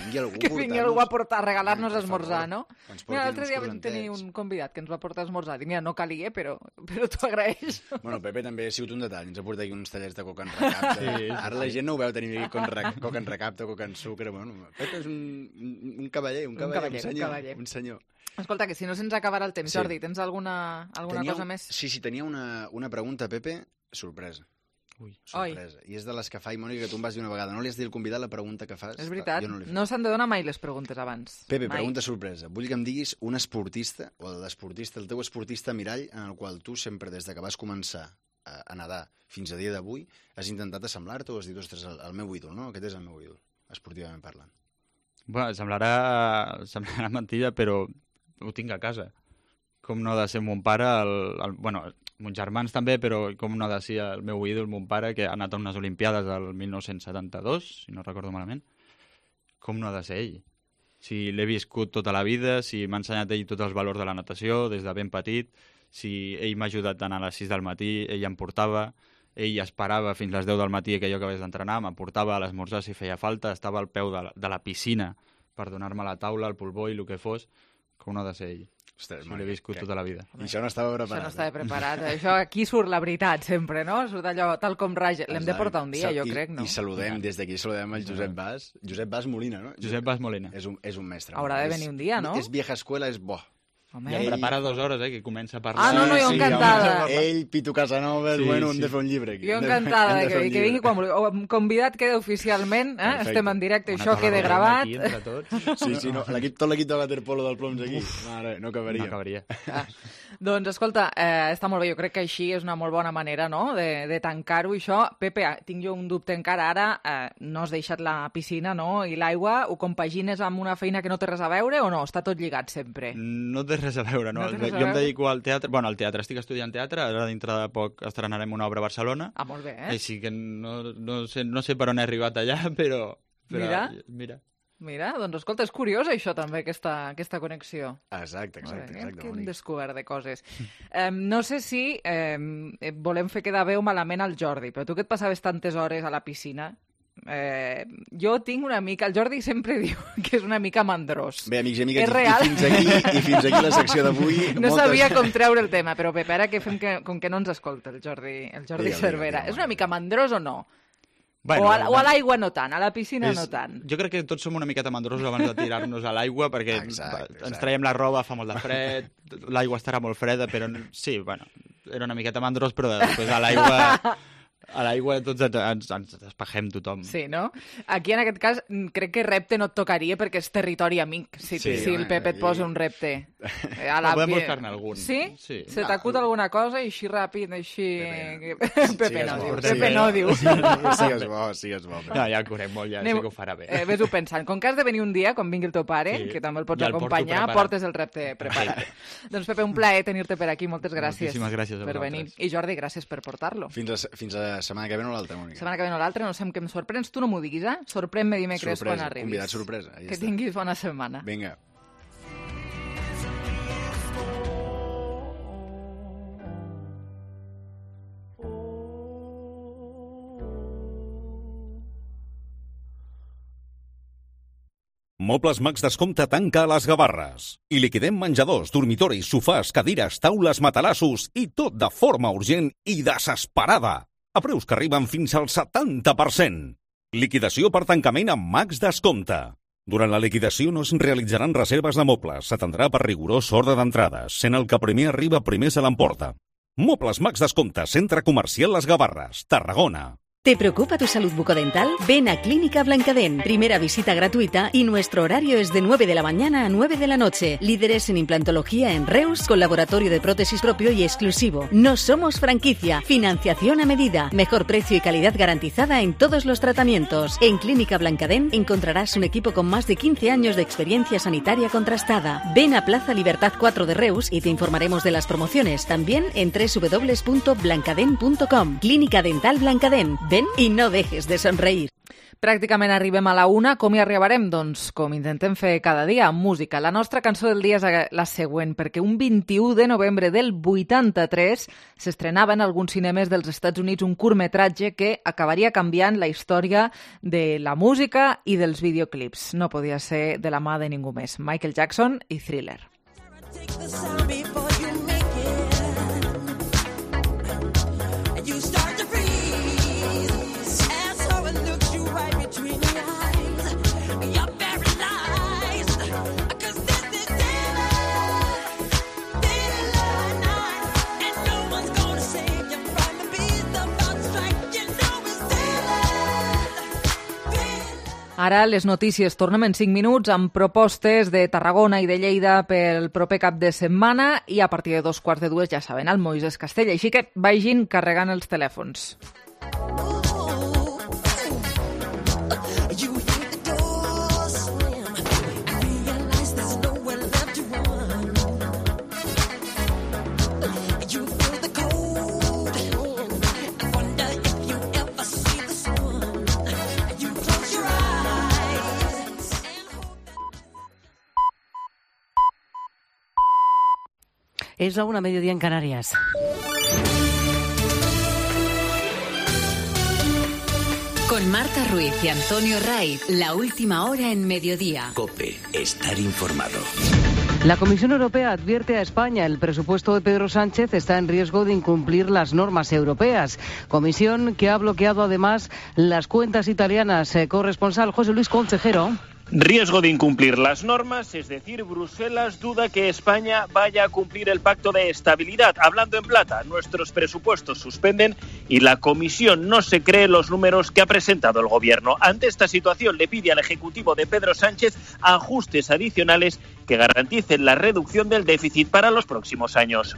vingui algú a portar, a regalar-nos a esmorzar, no? Mira, l'altre dia vam tenir un convidat que ens va portar a esmorzar. Dic, mira, no calia, però t'ho agraeix. Bueno, Pepe també ha sigut un detall. Ens ha portat aquí uns tallers de coca en recapte. Ara la gent no ho veu tenir aquí coca en recapte, coca en sucre. Bueno, Pepe és un cavaller, un senyor. Escolta, que si no se'ns acabarà el temps. Jordi, tens alguna cosa més? Sí, tenia una pregunta, Pepe, sorpresa. Sorpresa. I és de les que fa, i Mònica, que tu em vas dir una vegada. No li has dit al convidat la pregunta que fas? És veritat, no s'han de donar mai les preguntes abans. Pepe, pregunta sorpresa. Vull que em diguis un esportista, o el teu esportista mirall, en el qual tu sempre, des que vas començar a nedar fins a dia d'avui, has intentat assemblar-te o has dit, ostres, el meu ídol, no? Aquest és el meu ídol, esportivament parlant. Bueno, semblarà mentida, però ho tinc a casa. Com no ha de ser mon pare, bueno, mons germans també, però com no ha de ser el meu ídol, mon pare, que ha anat a unes Olimpiades del 1972, si no recordo malament, com no ha de ser ell? Si l'he viscut tota la vida, si m'ha ensenyat ell tots els valors de la natació des de ben petit, si ell m'ha ajudat a anar a les 6 del matí, ell em portava, ell esperava fins a les 10 del matí que jo acabés d'entrenar, em portava a l'esmorzar si feia falta, estava al peu de la piscina per donar-me la taula, el polvó i el que fos, com no ha de ser ell. Ostres, l'he viscut tota la vida. I això no estava preparat. Això no estava preparat. Això aquí surt la veritat sempre, no? Surt allò tal com raja. L'hem de portar un dia, jo crec, no? I saludem, des d'aquí saludem el Josep Bas. Josep Bas Molina, no? Josep Bas Molina. És un mestre. Haurà de venir un dia, no? És vieja escuela, és bo. Ja em prepara 2 hores, que comença a parlar. No, jo encantada. Ell, Pitu Casanova, bueno, hem de fer un llibre aquí. Jo encantada que vingui quan vulgui. Convidat queda oficialment, estem en directe, això queda gravat. Sí, tot l'equip de waterpolo del Ploms aquí. Mare, no acabaria. Doncs, escolta, està molt bé, jo crec que així és una molt bona manera, no?, de tancar-ho, això. Pepe, tinc jo un dubte encara ara, no has deixat la piscina, no?, i l'aigua, ho compagines amb una feina que no té res a veure o no? Està tot lligat sempre? No té res a veure, no? Jo em dedico al teatre, al teatre, estic estudiant teatre, ara dintre de poc estrenarem una obra a Barcelona. Ah, molt bé, Així que no sé per on he arribat allà, però Mira, doncs escolta, és curiós això també, aquesta connexió. Exacte. Que hem descobert de coses. No sé si volem fer quedar bé o malament al Jordi, però tu que et passaves tantes hores a la piscina, jo tinc una mica... El Jordi sempre diu que és una mica mandrós. Bé, amics i amigues, i fins aquí la secció d'avui. No sabia com treure el tema, però Pepe, ara que fem com que no ens escolta el Jordi Cervera. És una mica mandrós o no? Bueno, o a l'aigua no tant, a la piscina no tant. Jo crec que tots som una miqueta mandrosos abans de tirar-nos a l'aigua, perquè ens traiem la roba, fa molt de fred, l'aigua estarà molt freda, però sí, bueno, era una miqueta mandrós, però després a l'aigua tots ens despegem tothom. Sí, no? Aquí, en aquest cas, crec que repte no et tocaria perquè és territori amic, si el Pepe et posa un repte. Podem buscar-ne algun. Sí? Se t'acut alguna cosa i així ràpid, així... Pepe no diu. Sigues bo. No, ja el conec molt, ja sé que ho farà bé. Ves-ho pensant. Com que has de venir un dia, quan vingui el teu pare, que també el pots acompanyar, portes el repte preparat. Doncs, Pepe, un plaer tenir-te per aquí. Moltes gràcies. Moltíssimes gràcies a per venir. I Jordi, gràcies per portar-lo. Fins a setmana que ve o l'altra, Mònica. Setmana que ve o l'altra, no sé amb què em sorprens. Tu no m'ho diguis, Sorprèn-me dimecres quan arribis. Convidat sorpresa. Que tinguis bona setmana. Vinga. Mobles Max Descompte tanca a les Gavarres. I liquidem menjadors, dormitoris, sofàs, cadires, taules, matalassos i tot de forma urgent i desesperada. A preus que arriben fins al 70%. Liquidació per tancament amb Max Descompte. Durant la liquidació no es realitzaran reserves de mobles. S'atendrà per rigorós ordre d'entrades, sent el que primer arriba primer se l'emporta. Mobles Max Descompte, centre comercial Les Gavarres, Tarragona. ¿Te preocupa tu salud bucodental? Ven a Clínica Blancadén. Primera visita gratuita y nuestro horario es de 9 de la mañana a 9 de la noche. Líderes en implantología en Reus, con laboratorio de prótesis propio y exclusivo. No somos franquicia. Financiación a medida. Mejor precio y calidad garantizada en todos los tratamientos. En Clínica Blancadén encontrarás un equipo con más de 15 años de experiencia sanitaria contrastada. Ven a Plaza Libertad 4 de Reus y te informaremos de las promociones. También en www.blancadén.com. Clínica Dental Blancadén. Ven i no dejes de somreir. Pràcticament arribem a la 1. Com hi arribarem? Doncs com intentem fer cada dia, amb música. La nostra cançó del dia és la següent, perquè un 21 de novembre del 83 s'estrenava en alguns cinemes dels Estats Units un curtmetratge que acabaria canviant la història de la música i dels videoclips. No podia ser de la mà de ningú més. Michael Jackson i Thriller. Ara les notícies. Tornem en 5 minuts amb propostes de Tarragona i de Lleida pel proper cap de setmana i a partir de 2:15 ja saben, el Moisès Castell. Així que vagin carregant els telèfons. Es la 1:00 en Canarias. Con Marta Ruiz y Antonio Raiz, la última hora en mediodía. COPE, estar informado. La Comisión Europea advierte a España: el presupuesto de Pedro Sánchez está en riesgo de incumplir las normas europeas. Comisión que ha bloqueado además las cuentas italianas. Corresponsal José Luis Concejero. Riesgo de incumplir las normas, es decir, Bruselas duda que España vaya a cumplir el pacto de estabilidad. Hablando en plata, nuestros presupuestos suspenden y la Comisión no se cree los números que ha presentado el Gobierno. Ante esta situación le pide al Ejecutivo de Pedro Sánchez ajustes adicionales que garanticen la reducción del déficit para los próximos años.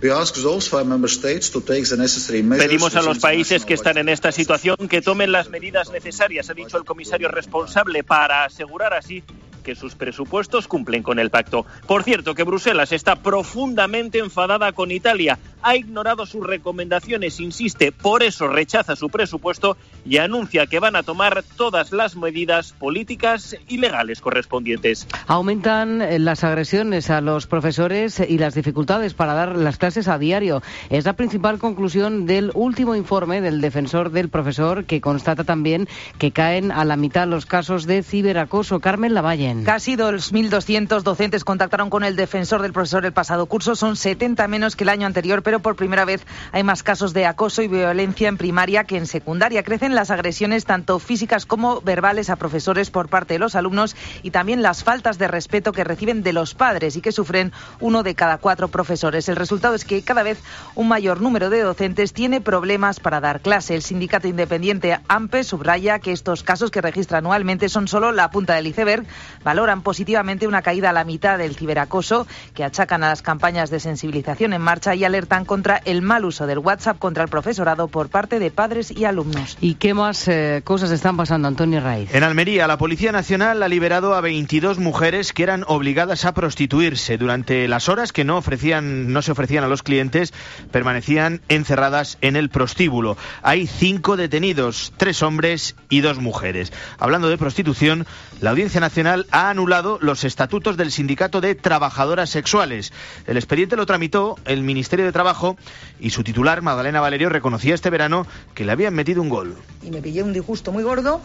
Pedimos a los países que están en esta situación que tomen las medidas necesarias, ha dicho el comisario responsable, para asegurar así que sus presupuestos cumplen con el pacto. Por cierto, que Bruselas está profundamente enfadada con Italia. Ha ignorado sus recomendaciones, insiste, por eso rechaza su presupuesto y anuncia que van a tomar todas las medidas políticas y legales correspondientes. Aumentan las agresiones a los profesores y las dificultades para dar las clases a diario. Es la principal conclusión del último informe del defensor del profesor, que constata también que caen a la mitad los casos de ciberacoso. Carmen Lavalle. Casi 2.200 docentes contactaron con el defensor del profesor el pasado curso. Son 70 menos que el año anterior, pero por primera vez hay más casos de acoso y violencia en primaria que en secundaria. Crecen las agresiones tanto físicas como verbales a profesores por parte de los alumnos y también las faltas de respeto que reciben de los padres y que sufren 1 de cada 4 profesores. El resultado es que cada vez un mayor número de docentes tiene problemas para dar clase. El sindicato independiente AMPE subraya que estos casos, que registra anualmente, son solo la punta del iceberg. Valoran positivamente una caída a la mitad del ciberacoso, que achacan a las campañas de sensibilización en marcha, y alertan contra el mal uso del WhatsApp contra el profesorado por parte de padres y alumnos. ¿Y qué más cosas están pasando, Antonio Raiz? En Almería, la Policía Nacional ha liberado a 22 mujeres que eran obligadas a prostituirse. Durante las horas que no se ofrecían a los clientes, permanecían encerradas en el prostíbulo. Hay 5 detenidos, 3 hombres y 2 mujeres. Hablando de prostitución, la Audiencia Nacional ha anulado los estatutos del Sindicato de Trabajadoras Sexuales. El expediente lo tramitó el Ministerio de Trabajo y su titular, Magdalena Valerio, reconocía este verano que le habían metido un gol. Y me pillé un disgusto muy gordo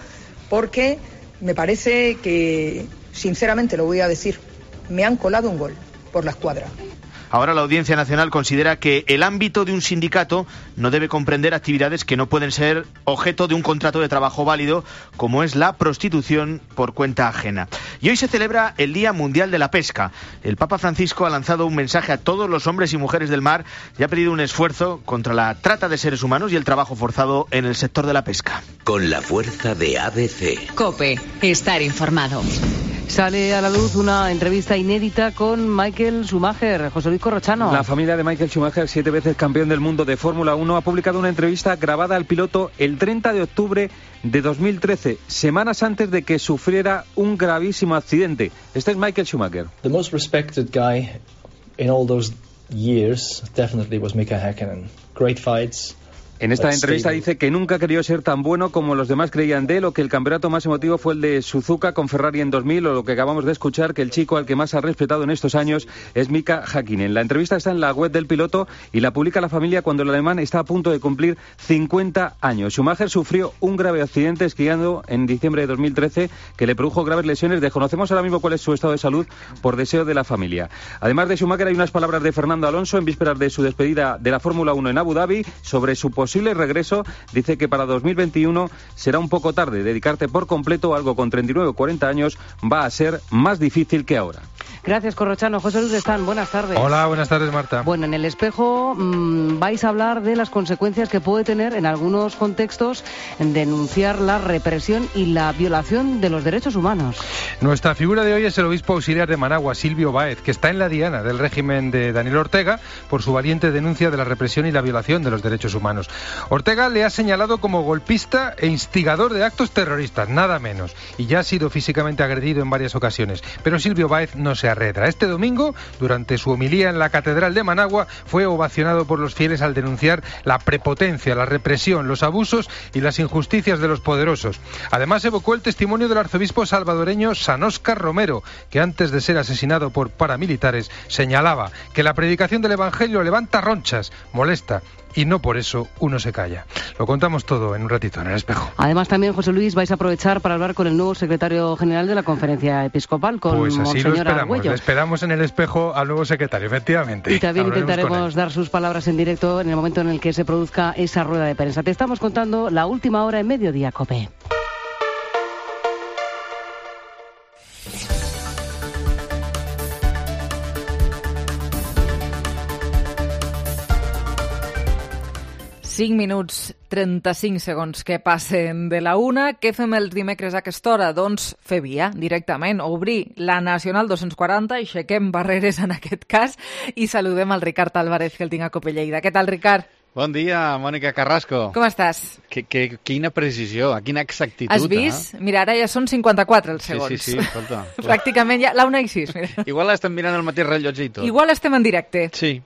porque me parece que, sinceramente lo voy a decir, me han colado un gol por la escuadra. Ahora la Audiencia Nacional considera que el ámbito de un sindicato no debe comprender actividades que no pueden ser objeto de un contrato de trabajo válido, como es la prostitución por cuenta ajena. Y hoy se celebra el Día Mundial de la Pesca. El Papa Francisco ha lanzado un mensaje a todos los hombres y mujeres del mar y ha pedido un esfuerzo contra la trata de seres humanos y el trabajo forzado en el sector de la pesca. Con la fuerza de ABC. COPE. Estar informado. Sale a la luz una entrevista inédita con Michael Schumacher. José Luis Corrochano. La familia de Michael Schumacher, 7 veces campeón del mundo de Fórmula 1, ha publicado una entrevista grabada al piloto el 30 de octubre de 2013, semanas antes de que sufriera un gravísimo accidente. Este es Michael Schumacher. The most respected guy in all those years definitely was Mika Häkkinen. Great fights. En esta entrevista dice que nunca quería ser tan bueno como los demás creían de él, o que el campeonato más emotivo fue el de Suzuka con Ferrari en 2000, o lo que acabamos de escuchar, que el chico al que más ha respetado en estos años es Mika Häkkinen. La entrevista está en la web del piloto y la publica la familia cuando el alemán está a punto de cumplir 50 años. Schumacher sufrió un grave accidente esquiando en diciembre de 2013 que le produjo graves lesiones. Desconocemos ahora mismo cuál es su estado de salud por deseo de la familia. Además de Schumacher, hay unas palabras de Fernando Alonso en vísperas de su despedida de la Fórmula 1 en Abu Dhabi sobre su posible regreso. Dice que para 2021 será un poco tarde. Dedicarte por completo a algo con 39 o 40 años va a ser más difícil que ahora. Gracias, Corrochano. José Luis Están, buenas tardes. Hola, buenas tardes, Marta. Bueno, en El Espejo vais a hablar de las consecuencias que puede tener en algunos contextos denunciar la represión y la violación de los derechos humanos. Nuestra figura de hoy es el obispo auxiliar de Managua, Silvio Báez, que está en la diana del régimen de Daniel Ortega por su valiente denuncia de la represión y la violación de los derechos humanos. Ortega le ha señalado como golpista e instigador de actos terroristas, nada menos, y ya ha sido físicamente agredido en varias ocasiones. Pero Silvio Báez no se arredra. Este domingo, durante su homilía en la Catedral de Managua, fue ovacionado por los fieles al denunciar la prepotencia, la represión, los abusos y las injusticias de los poderosos. Además, evocó el testimonio del arzobispo salvadoreño San Óscar Romero, que antes de ser asesinado por paramilitares señalaba que la predicación del Evangelio levanta ronchas, molesta, y no por eso uno se calla. Lo contamos todo en un ratito en El Espejo. Además, también, José Luis, vais a aprovechar para hablar con el nuevo secretario general de la Conferencia Episcopal, con pues así Monseñor lo esperamos. Argüello. Le esperamos en El Espejo al nuevo secretario, efectivamente. Y también intentaremos dar sus palabras en directo en el momento en el que se produzca esa rueda de prensa. Te estamos contando la última hora en Mediodía, COPE. Cinc minuts, 35 segons que passen de la una. Què fem els dimecres a aquesta hora? Doncs fer via directament, obrir la Nacional 240, aixequem barreres en aquest cas i saludem al Ricard Álvarez, que el tinc a COPE Lleida. Què tal, Ricard? Bon dia, Mònica Carrasco. Com estàs? Quina precisió, quina exactitud. Has vist? Mira, ara ja són 54 els segons. Sí, escolta. Pràcticament ja, la 1 i 6. Mira. Igual estem mirant el mateix rellotge i tot. Igual estem en directe. Sí.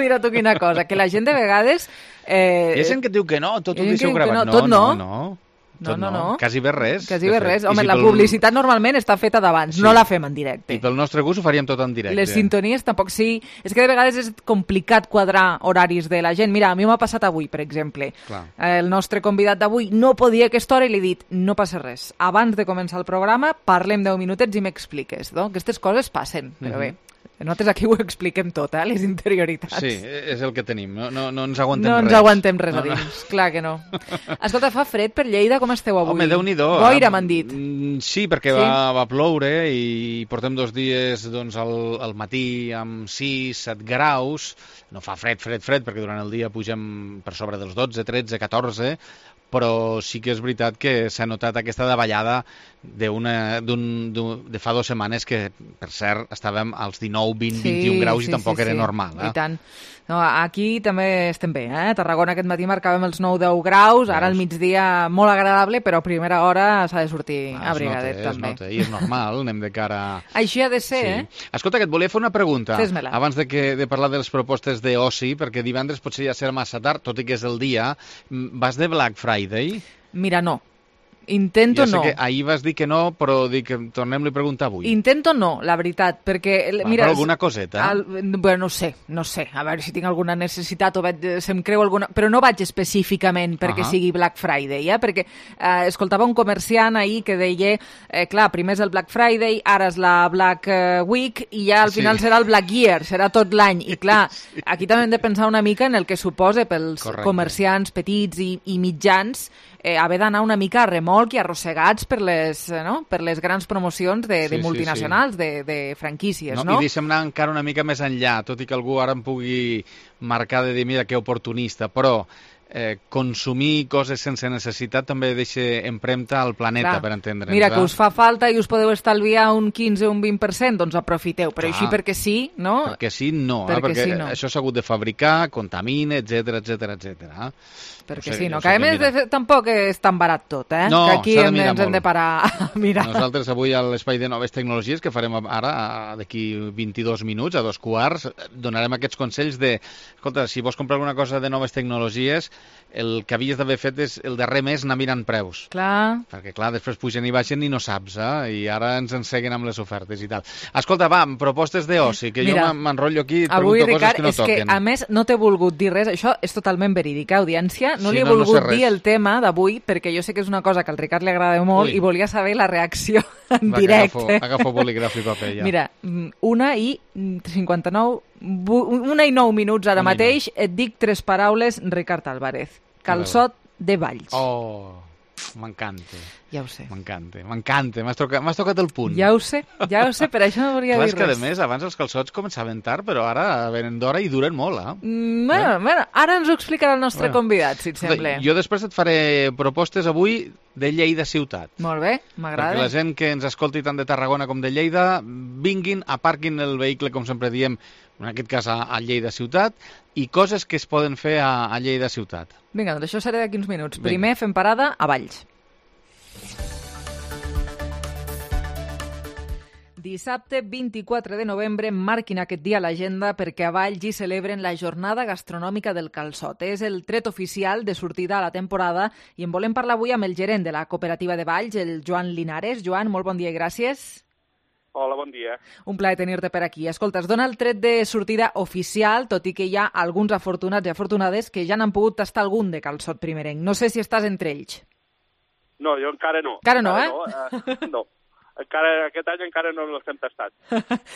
Mira tu quina cosa, que la gent de vegades... Hi ha gent que diu que no, tot ho deixeu gravat. Tot no. No. Quasi bé res. Quasi bé res. Home, la publicitat normalment està feta d'abans, no la fem en directe. I pel nostre gust ho faríem tot en directe. Les sintonies tampoc sí. És que de vegades és complicat quadrar horaris de la gent. Mira, a mi m'ha passat avui, per exemple. Clar. El nostre convidat d'avui no podia a aquesta hora i li he dit, no passa res. Abans de començar el programa, parlem 10 minutets i m'expliques. No? Aquestes coses passen, però bé. Nosaltres aquí ho expliquem tot, les interioritats. Sí, és el que tenim, no ens aguantem res. No ens aguantem res a dins, clar que no. Escolta, fa fred per Lleida, com esteu avui? Home, Déu-n'hi-do. Boira, m'han dit. Sí, perquè va ploure i portem 2 dies doncs, al matí amb 6-7 graus. No fa fred, perquè durant el dia pugem per sobre dels 12, 13, 14, però sí que és veritat que s'ha notat aquesta davallada de fa 2 setmanes que, per cert, estàvem als 19, 20, 21 graus i tampoc era normal. I tant. No, aquí també estem bé, A Tarragona aquest matí marcàvem els 9-10 graus, ara al migdia molt agradable, però a primera hora s'ha de sortir abrigadet també. Es nota, i és normal, anem de cara... Així ha de ser, Escolta, que et volia fer una pregunta. Fes-me-la. Abans de parlar de les propostes d'oci, perquè divendres potser ja serà massa tard, tot i que és el dia. Vas de Black Friday? Mira, no. Intento no. Ja sé que ahir vas dir que no, però dic que tornem-li a preguntar avui. Intento no, la veritat, perquè... Mira, però alguna coseta? Bueno, no sé, a veure si tinc alguna necessitat o se'm creu alguna... Però no vaig específicament perquè sigui Black Friday, perquè escoltava un comerciant ahir que deia, clar, primer és el Black Friday, ara és la Black Week i ja al final serà el Black Year, serà tot l'any. I clar, aquí també hem de pensar una mica en el que suposa pels comerciants petits i mitjans haver d'anar una mica a remolc i arrossegats per les grans promocions de multinacionals, de franquícies, no? I deixa'm anar encara una mica més enllà, tot i que algú ara em pugui marcar de dir, mira, que oportunista, però consumir coses sense necessitat també deixa empremta al planeta, per entendre'ns. Mira, que us fa falta i us podeu estalviar un 15 o un 20%, doncs aprofiteu, però així perquè sí, no? Perquè sí, no, perquè això s'ha hagut de fabricar, contamina, etcètera. Perquè sí, no? Que a més tampoc és tan barat tot, No, que aquí ens hem de parar a mirar. Nosaltres avui a l'Espai de Noves Tecnologies, que farem ara, d'aquí 22 minuts, a 2:15, donarem aquests consells de, escolta, si vols comprar alguna cosa de noves tecnologies, el que havies d'haver fet és el darrer mes anar mirant preus. Clar. Perquè, clar, després pugen i baixen i no saps, i ara ens enseguen amb les ofertes i tal. Escolta, va, propostes d'oci, que jo m'enrotllo aquí i pregunto avui, coses Ricard, que no toquen. Avui, Ricard, és que, a més, no t'he volgut dir res, això és totalment verídic, audiència. No li he volgut dir el tema d'avui, perquè jo sé que és una cosa que al Ricard li agrada molt i volia saber la reacció en directe. Agafo bolígraf i paper, ja. Mira, 1:09 minuts ara mateix, et dic 3 paraules, Ricard Álvarez. Calçot de Valls. Oh, m'encanta. Ja ho sé. M'encanta, m'has tocat el punt. Ja ho sé, per això no volia dir res. Clar, és que, a més, abans els calçots començaven tard, però ara venen d'hora i duren molt, Bueno, ara ens ho explicarà el nostre convidat, si et sembla. Jo després et faré propostes avui de Lleida ciutat. Molt bé, m'agrada. Perquè la gent que ens escolti tant de Tarragona com de Lleida vinguin, aparquin el vehicle, com sempre diem, en aquest cas a Lleida ciutat, i coses que es poden fer a Lleida ciutat. Vinga, doncs això serà d'aquí uns minuts. Primer fem parada a Valls. Dissabte 24 de novembre marquin aquest dia a l'agenda perquè a Valls hi celebren la jornada gastronòmica del calçot. És el tret oficial de sortida a la temporada i en volem parlar avui amb el gerent de la cooperativa de Valls, el Joan Linares. Joan, molt bon dia i gràcies. Hola, bon dia. Un plaer tenir-te per aquí. Escolta, es dona el tret de sortida oficial, tot i que hi ha alguns afortunats i afortunades que ja n'han pogut tastar algun de calçot primerenc. No sé si estàs entre ells. No, jo encara no. Encara no, No. Aquest any encara no els hem tastat,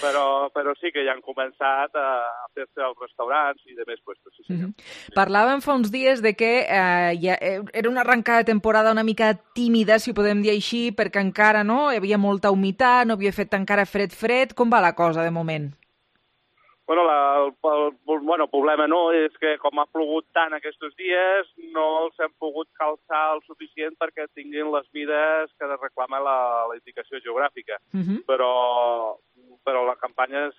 però sí que ja han començat a fer-se als restaurants i de més puestos. Sí, senyor. Parlàvem fa uns dies de que era una arrencada de temporada una mica tímida, si ho podem dir així, perquè encara no hi havia molta humitat, no havia fet encara fred. Com va la cosa de moment? Bueno, el problema no és que com ha plogut tant aquests dies no els hem pogut calçar el suficient perquè tinguin les mides que reclama la indicació geogràfica. Però la campanya es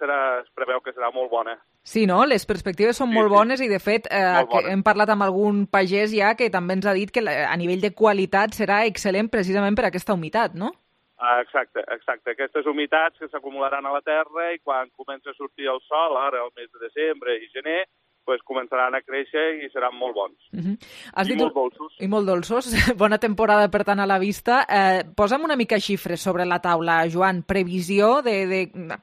preveu que serà molt bona. Sí, no? Les perspectives són molt bones i, de fet, hem parlat amb algun pagès ja que també ens ha dit que a nivell de qualitat serà excel·lent precisament per aquesta humitat, no? Exacte. Aquestes humitats que s'acumularan a la terra i quan comença a sortir el sol, ara el mes de desembre i gener, doncs començaran a créixer i seran molt bons. Molt dolços. I molt dolços. Bona temporada, per tant, a la vista. Posa'm una mica xifres sobre la taula, Joan. Previsió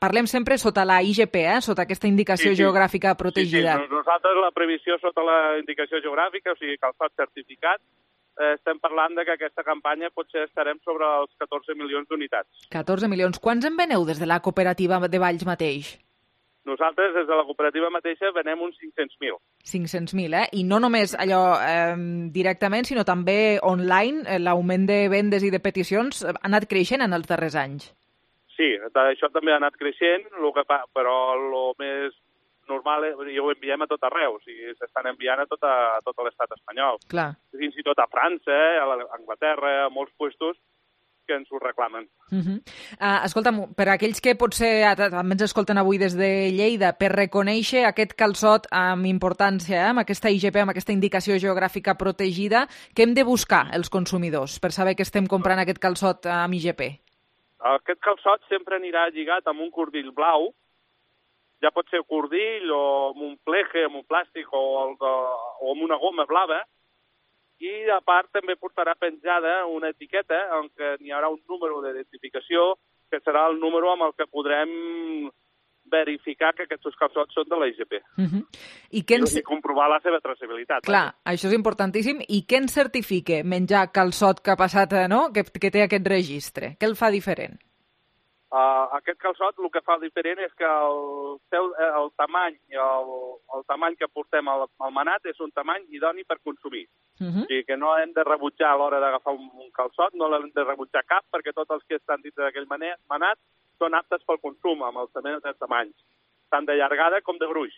Parlem sempre sota la IGP, sota aquesta indicació geogràfica protegida. Sí, nosaltres la previsió sota la indicació geogràfica, o sigui, calçat certificat, estem parlant que aquesta campanya potser estarem sobre els 14 milions d'unitats. 14 milions. Quants en veneu des de la cooperativa de Valls mateix? Nosaltres, des de la cooperativa mateixa, venem uns 500.000. 500.000, I no només allò directament, sinó també online. L'augment de vendes i de peticions ha anat creixent en els darrers anys. Sí, això també ha anat creixent, però el més normal i ho enviem a tot arreu, o sigui, s'estan enviant a tot l'estat espanyol. Clar. Fins i tot a França, a Anglaterra, a molts puestos que ens ho reclamen. Escolta'm, per aquells que potser també ens escolten avui des de Lleida, per reconèixer aquest calçot amb importància, amb aquesta IGP, amb aquesta indicació geogràfica protegida, què hem de buscar els consumidors per saber que estem comprant aquest calçot amb IGP? Aquest calçot sempre anirà lligat amb un cordill blau, ja pot ser cordill o amb un pleje, amb un plàstic o amb una goma blava, i a part també portarà penjada una etiqueta en què n'hi haurà un número d'identificació que serà el número amb el que podrem verificar que aquests calçots són de la IGP. I comprovar la seva traçabilitat. Clar, això és importantíssim. I què ens certifica menjar calçot que ha passat, no? Que té aquest registre? Què el fa diferent? Aquest calçot el que fa diferent és que el tamany que portem al manat és un tamany idoni per consumir. O sigui que no hem de rebutjar a l'hora d'agafar un calçot, no l'hem de rebutjar cap, perquè tots els que estan dins d'aquell manat són aptes pel consum, amb els tamanys, tant de llargada com de gruix.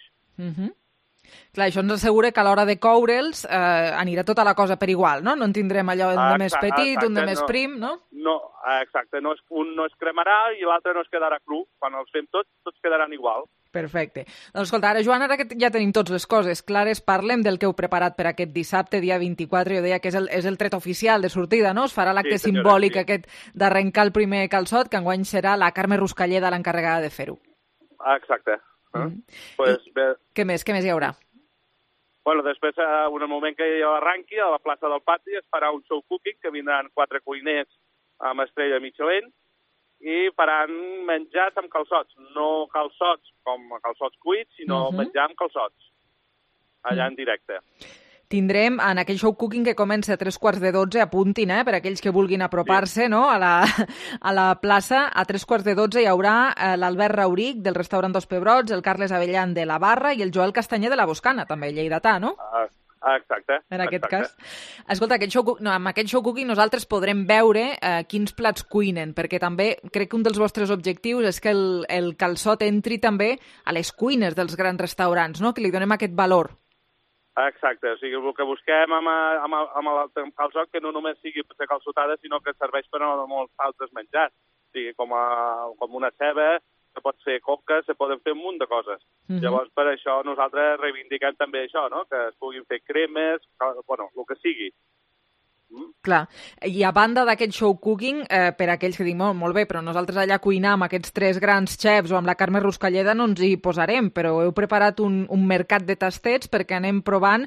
Clar, això ens assegura que a l'hora de coure'ls anirà tota la cosa per igual, no? No en tindrem allò un de més petit, un de més prim, no? No, exacte. Un no es cremarà i l'altre no es quedarà cru. Quan els fem tots quedaran igual. Perfecte. Doncs escolta, ara, Joan, ara que ja tenim totes les coses clares, parlem del que heu preparat per aquest dissabte, dia 24. Jo deia que és el tret oficial de sortida, no? Es farà l'acte simbòlic aquest d'arrencar el primer calçot, que enguany serà la Carme Ruscalleda l'encarregada de fer-ho. Exacte. Què més hi haurà? Bueno, després, en el moment que arranqui, a la plaça del Pati es farà un show cooking, que vindran 4 cuiners amb estrella Michelin i faran menjars amb calçots. No calçots com calçots cuits, sinó menjar amb calçots, allà en directe. Tindrem en aquell show cooking que comença a 11:45, apuntin, per aquells que vulguin apropar-se, no? a la plaça, a 11:45 hi haurà l'Albert Rauric del restaurant Dos Pebrots, el Carles Avellan de la Barra i el Joel Castanyer de la Boscana, també lleidatà, no? Exacte. En aquest cas. Escolta, amb aquest show cooking nosaltres podrem veure quins plats cuinen, perquè també crec que un dels vostres objectius és que el calçot entri també a les cuines dels grans restaurants, no? Que li donem aquest valor. Exacte, o sigui, el que busquem amb el calçot que no només sigui per fer calçotada, sinó que serveix per a molts altres menjars. O sigui, com una ceba, se pot fer coca, se poden fer un munt de coses. Llavors, per això nosaltres reivindiquem també això, no? Que es puguin fer cremes, bueno, el que sigui. Clar, i a banda d'aquest show cooking, per aquells que diuen, molt bé, però nosaltres allà cuinar amb aquests 3 grans xefs o amb la Carme Ruscalleda no ens hi posarem, però heu preparat un mercat de tastets perquè anem provant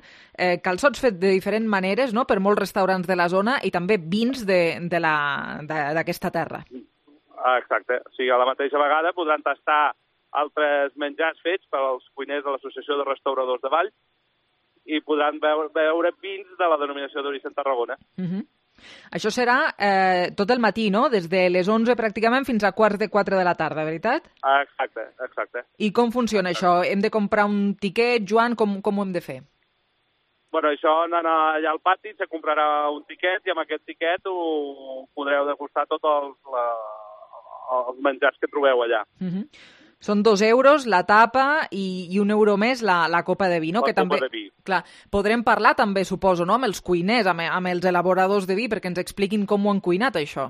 calçots fets de diferents maneres, no?, per molts restaurants de la zona i també vins d'aquesta terra. Exacte, o sigui, a la mateixa vegada podran tastar altres menjars fets pels cuiners de l'Associació de Restauradors de Valls i podran veure vins de la denominació d'origen Tarragona. Això serà tot el matí, no? Des de les 11 pràcticament fins a 3:45 de la tarda, veritat? Exacte. I com funciona això? Hem de comprar un tiquet, Joan? Com ho hem de fer? Bueno, això anant allà al pati, se comprarà un tiquet i amb aquest tiquet podreu degustar tots els menjars que trobeu allà. Són 2 euros la tapa i 1 euro més la copa de vi, no? La copa de vi. Clar, podrem parlar també, suposo, no?, amb els cuiners, amb els elaboradors de vi, perquè ens expliquin com ho han cuinat, això.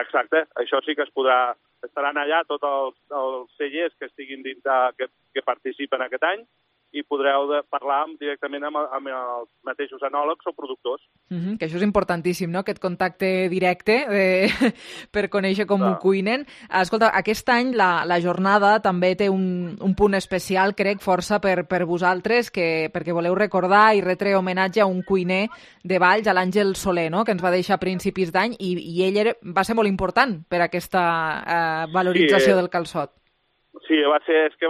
Exacte, això sí que es podrà... Estaran allà tots els cellers que estiguin dins que participen aquest any i podreu parlar directament amb els mateixos enòlegs o productors. Que això és importantíssim, no?, aquest contacte directe per conèixer com ho cuinen. Escolta, aquest any la jornada també té un punt especial, crec, força per vosaltres, perquè voleu recordar i retre homenatge a un cuiner de Valls, a l'Àngel Soler, no?, que ens va deixar a principis d'any i ell va ser molt important per aquesta valorització del calçot. Sí, va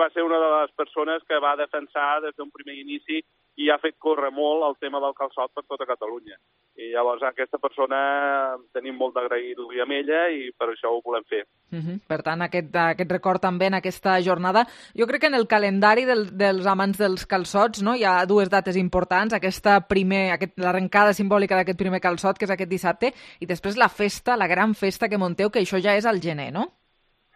ser una de les persones que va defensar des d'un primer inici i ha fet córrer molt el tema del calçot per tota Catalunya. I llavors aquesta persona tenim molt d'agrair-li amb ella i per això ho volem fer. Per tant, aquest record també en aquesta jornada. Jo crec que en el calendari dels amants dels calçots, no, hi ha 2 dates importants, l'arrencada simbòlica d'aquest primer calçot, que és aquest dissabte, i després la gran festa que munteu, que això ja és al gener, no?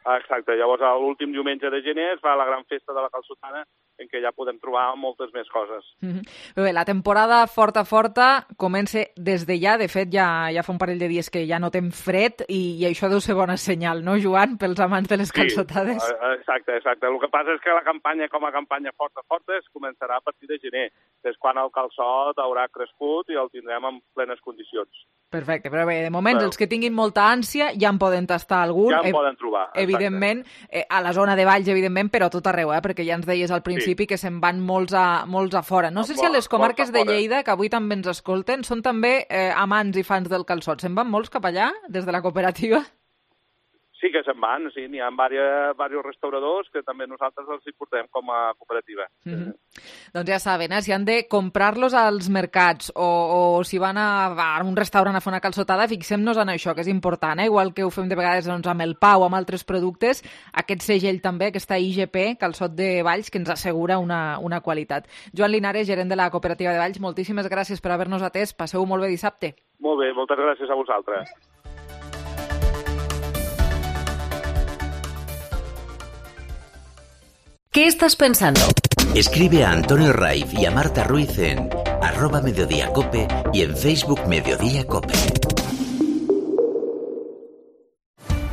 Exacte, llavors l'últim diumenge de gener es fa la gran festa de la calçotada en què ja podem trobar moltes més coses. Bé, la temporada forta comença des de ja, de fet ja fa un parell de dies que ja notem fred i això deu ser bona senyal, no, Joan, pels amants de les calçotades? Sí, exacte. El que passa és que la campanya com a campanya forta es començarà a partir de gener, que és quan el calçot haurà crescut i el tindrem en plenes condicions. Perfecte, però bé, de moment els que tinguin molta ànsia ja en poden tastar algun. Ja en poden trobar. Evidentment, a la zona de Valls, evidentment, però a tot arreu, perquè ja ens deies al principi que se'n van molts a fora. No sé si a les comarques de Lleida, que avui també ens escolten, són també amants i fans del calçot. Se'n van molts cap allà, des de la cooperativa? Sí que se'n van, sí, n'hi ha diversos restauradors que també nosaltres els hi portem com a cooperativa. Doncs ja saben, si han de comprar-los als mercats o si van a un restaurant a fer una calçotada, fixem-nos en això, que és important, igual que ho fem de vegades amb el pa o amb altres productes, aquest segell també, aquesta IGP, Calçot de Valls, que ens assegura una qualitat. Joan Linares, gerent de la cooperativa de Valls, moltíssimes gràcies per haver-nos atès. Passeu molt bé dissabte. Molt bé, moltes gràcies a vosaltres. ¿Qué estás pensando? Escribe a Antonio Raiz y a Marta Ruiz en @mediodíacope y en Facebook Mediodía Cope.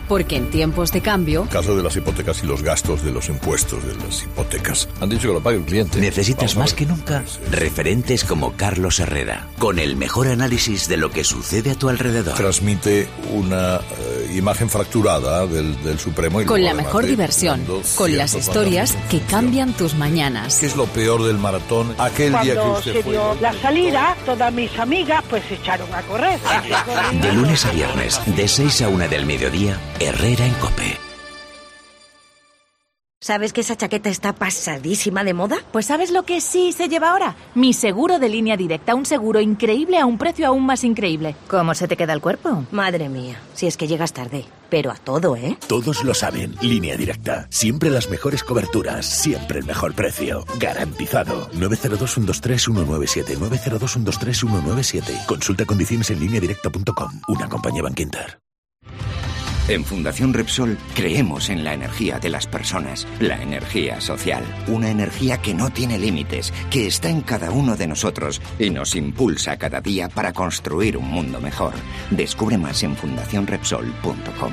Porque en tiempos de cambio... El caso de las hipotecas y los gastos de los impuestos de las hipotecas. Han dicho que lo pague el cliente. Necesitas más que nunca referentes como Carlos Herrera, con el mejor análisis de lo que sucede a tu alrededor. Transmite una imagen fracturada del Supremo. Y con la mejor diversión, con las historias que cambian tus mañanas. ¿Qué es lo peor del maratón? Aquel día que Cuando usted se fue... dio la salida, todas mis amigas pues se echaron a correr. De lunes a viernes, de 6 a 1 del mediodía, Herrera en Cope. ¿Sabes que esa chaqueta está pasadísima de moda? Pues ¿sabes lo que sí se lleva ahora? Mi seguro de Línea Directa, un seguro increíble a un precio aún más increíble. ¿Cómo se te queda el cuerpo? Madre mía, si es que llegas tarde. Pero a todo, ¿eh? Todos lo saben. Línea Directa. Siempre las mejores coberturas. Siempre el mejor precio. Garantizado. 902-123-197. 902-123-197. Consulta condiciones en lineadirecta.com. Una compañía Bankinter. En Fundación Repsol creemos en la energía de las personas, la energía social, una energía que no tiene límites, que está en cada uno de nosotros y nos impulsa cada día para construir un mundo mejor. Descubre más en fundacionrepsol.com.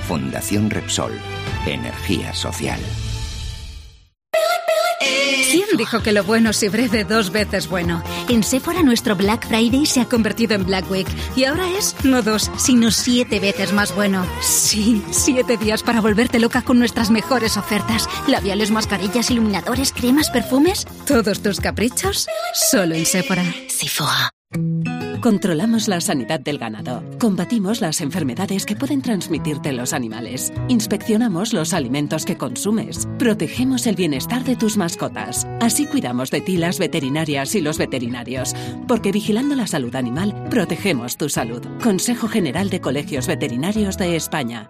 Fundación Repsol, energía social. ¿Quién dijo que lo bueno se breve 2 veces bueno? En Sephora nuestro Black Friday se ha convertido en Black Week y ahora es no 2, sino 7 veces más bueno. Sí, 7 días para volverte loca con nuestras mejores ofertas. Labiales, mascarillas, iluminadores, cremas, perfumes. Todos tus caprichos, solo en Sephora. Sephora. Controlamos la sanidad del ganado. Combatimos las enfermedades que pueden transmitirte los animales. Inspeccionamos los alimentos que consumes. Protegemos el bienestar de tus mascotas. Así cuidamos de ti las veterinarias y los veterinarios. Porque vigilando la salud animal, protegemos tu salud. Consejo General de Colegios Veterinarios de España.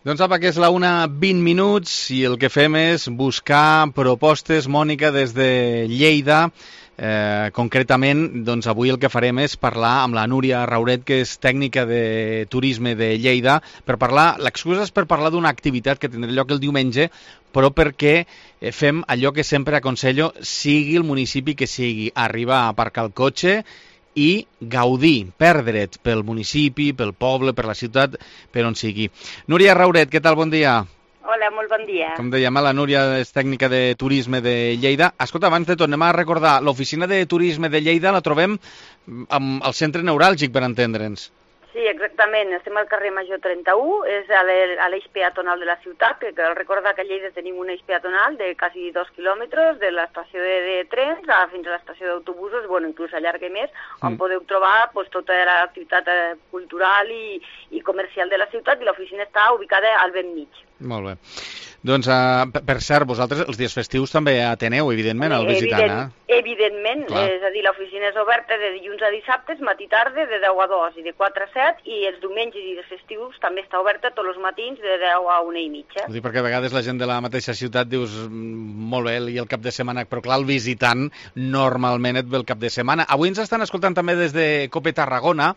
Doncs apa, que és la 1:20 i el que fem és buscar propostes, Mònica, des de Lleida. Concretament, doncs avui el que farem és parlar amb la Núria Rauret, que és tècnica de turisme de Lleida, per parlar, l'excusa és per parlar d'una activitat que tindrà lloc el diumenge, però perquè fem allò que sempre aconsello, sigui el municipi que sigui, arribar a aparcar el cotxe i gaudir, perdre't pel municipi, pel poble, per la ciutat, per on sigui. Núria Rauret, què tal? Bon dia. Hola, molt bon dia. Com dèiem, la Núria és tècnica de turisme de Lleida. Escolta, abans de tot, anem a recordar, l'oficina de turisme de Lleida la trobem al centre neuràlgic, per entendre'ns. Sí, exactament. Estem al carrer Major 31, és a l'eix peatonal de la ciutat, que cal recordar que a Lleida tenim un eix peatonal de quasi 2 quilòmetres, de l'estació de trens fins a l'estació d'autobusos, bueno, inclús allarga més, on podeu trobar tota l'activitat cultural i comercial de la ciutat, i l'oficina està ubicada al ben mig. Molt bé. Doncs, per cert, vosaltres els dies festius també ateneu, evidentment, al visitant, Evidentment, és a dir, l'oficina és oberta de dilluns a dissabtes, matí i tarda, de 10 a 2 i de 4 a 7, i els diumenges i els festius també està oberta tots els matins de 10 a 1:30. Ho dic perquè a vegades la gent de la mateixa ciutat dius, molt bé, i el cap de setmana, però clar, el visitant normalment et ve el cap de setmana. Avui ens estan escoltant també des de Cope Tarragona,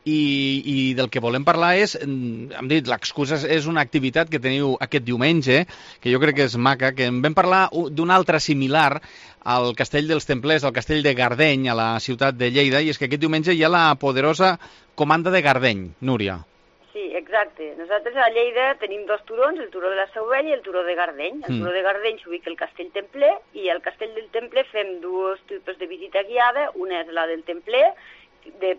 i del que volem parlar és, hem dit, l'excusa és una activitat que teniu aquest diumenge, que jo crec que és maca, que en vam parlar d'una altra similar al Castell dels Templers, al Castell de Gardeny, a la ciutat de Lleida, i és que aquest diumenge hi ha la poderosa Comanda de Gardeny. Núria. Sí, exacte. Nosaltres a Lleida tenim 2 turons, el turó de la Seu Vella i el turó de Gardeny. El turó de Gardeny s'ubica al Castell Templer, i al Castell del Templer fem 2 tipus de visita guiada. Una és la del Templer,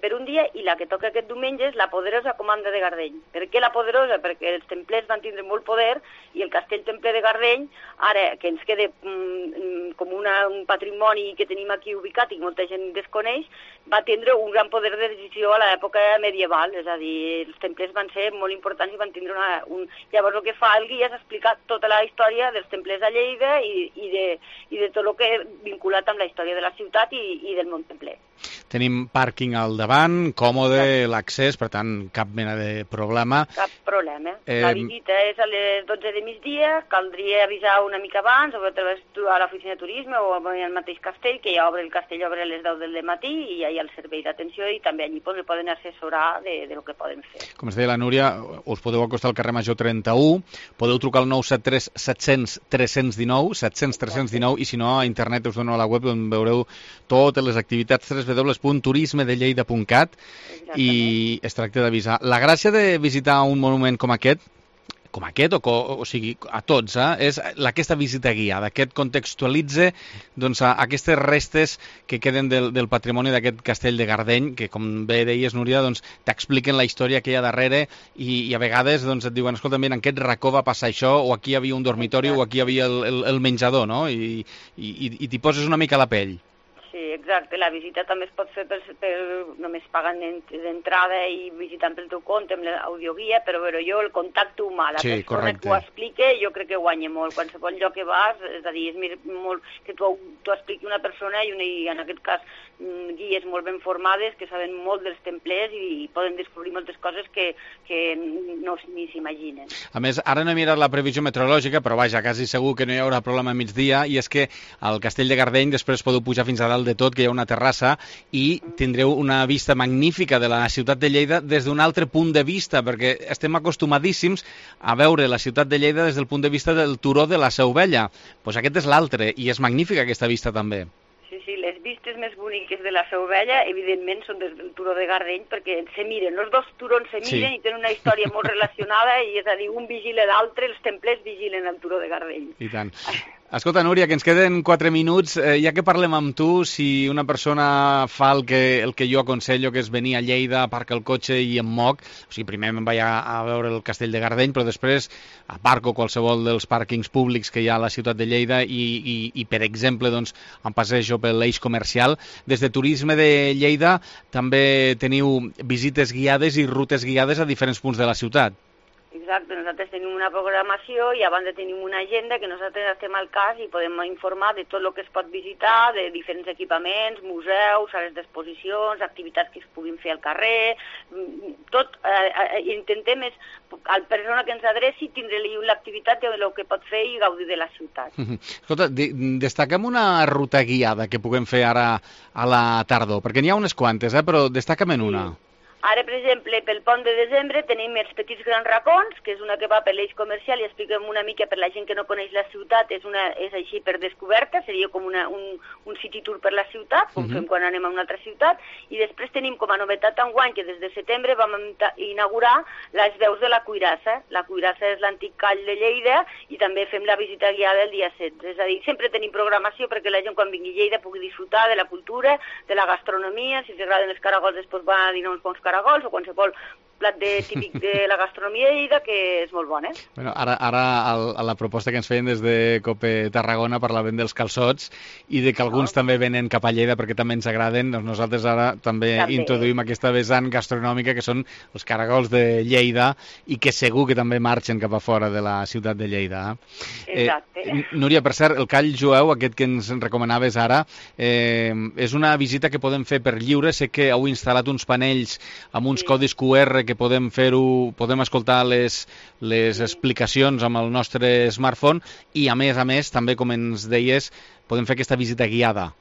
per un dia, i la que toca aquest diumenge és la poderosa comanda de Gardeny. Per què la poderosa? Perquè els templers van tindre molt poder i el castell templer de Gardeny, ara que ens queda com un patrimoni que tenim aquí ubicat i que molta gent desconeix, va tindre un gran poder de decisió a l'època medieval, és a dir, els templers van ser molt importants i van tindre Llavors el que fa el guia és explicar tota la història dels templers a Lleida i de tot el que vinculat amb la història de la ciutat i del món templer. Tenim pàrquing al davant, còmode, l'accés, per tant, cap mena de problema. Cap problema. La visita és a les 12 de migdia, caldria avisar una mica abans, o a través de l'oficina de turisme o al mateix castell, que ja el castell obre a les 10 del matí i ja hi ha el servei d'atenció i també allí poden assessorar de lo que poden fer. Com es deia la Núria, us podeu acostar al carrer Major 31, podeu trucar al 973 700 319, 700 319, i si no, a internet us dono a la web on veureu totes les activitats, www.turismedelleida.cat, i es tracta d'avisar. La gràcia de visitar un monument com aquest, o sigui, a tots, és aquesta visita guiada, que et contextualitza aquestes restes que queden del patrimoni d'aquest castell de Gardeny, que, com bé deies, Núria, t'expliquen la història que hi ha darrere i a vegades et diuen, escolta, mira, en aquest racó va passar això, o aquí hi havia un dormitori, o aquí hi havia el menjador, no? I t'hi poses una mica a la pell. Sí, exacte. La visita també es pot fer només pagant d'entrada i visitant pel teu compte amb l'audioguia, però jo el contacte humà, la persona que ho explica, jo crec que guanya molt. Qualsevol lloc que vas, és a dir, és molt que t'ho expliqui una persona i en aquest cas guies molt ben formades que saben molt dels templers i poden descobrir moltes coses que no ni s'imaginen. A més, ara no he mirat la previsió meteorològica, però vaja, quasi segur que no hi haurà problema a migdia, i és que al castell de Gardeny després podeu pujar fins a dalt de tot, que hi ha una terrassa, i tindreu una vista magnífica de la ciutat de Lleida des d'un altre punt de vista, perquè estem acostumadíssims a veure la ciutat de Lleida des del punt de vista del turó de la Seu Vella. Doncs aquest és l'altre, i és magnífica aquesta vista també. Sí, les vistes més boniques de la Seu Vella, evidentment, són des del turó de Gardeny, perquè se miren, els dos turons se miren i tenen una història molt relacionada, i és a dir, un vigila l'altre, els templers vigilen el turó de Gardeny. I tant. Escolta, Núria, que ens queden 4 minuts, ja que parlem amb tu, si una persona fa el que jo aconsello, que és venir a Lleida, aparca el cotxe i em moc, o sigui, primer me'n vaig a veure el castell de Gardeny, però després aparco qualsevol dels pàrquings públics que hi ha a la ciutat de Lleida i per exemple, em passejo per l'eix comercial. Des de Turisme de Lleida també teniu visites guiades i rutes guiades a diferents punts de la ciutat. Exacte, nosaltres tenim una programació i a banda tenim una agenda que nosaltres estem al cas i podem informar de tot el que es pot visitar, de diferents equipaments, museus, sales d'exposicions, activitats que es puguin fer al carrer, tot. Intentem, al persona que ens adreci, tindre-li l'activitat de el que pot fer i gaudir de la ciutat. Escolta, destaquem una ruta guiada que puguem fer ara a la tardor, perquè n'hi ha unes quantes, però destaca'm en una. Ara, per exemple, pel pont de desembre tenim els petits grans racons, que és una que va per l'eix comercial i expliquem una mica per la gent que no coneix la ciutat, és així per descoberta, seria com un city tour per la ciutat, com fem quan anem a una altra ciutat, i després tenim com a novetat enguany que des de setembre vam inaugurar les veus de la Cuirassa. La Cuirassa és l'antic call de Lleida i també fem la visita guiada el dia 16. És a dir, sempre tenim programació perquè la gent quan vingui a Lleida pugui disfrutar de la cultura, de la gastronomia, si els agraden els caragols després van a dinar uns bons caragols o qualsevol plat típic de la gastronomia de Lleida, que és molt bon, Bueno, ara a la proposta que ens feien des de Cope Tarragona parlaven dels calçots i de que alguns també venen cap a Lleida perquè també ens agraden. Nosaltres ara també introduïm aquesta vessant gastronòmica que són els caragols de Lleida i que segur que també marxen cap a fora de la ciutat de Lleida. Exacte. Núria, per cert, el call jueu, aquest que ens recomanaves ara, és una visita que podem fer per lliure. Sé que heu instal·lat uns panells amb uns codis QR que podem fer-ho, podem escoltar les explicacions amb el nostre smartphone i a més també, com ens deies, podem fer aquesta visita guiada.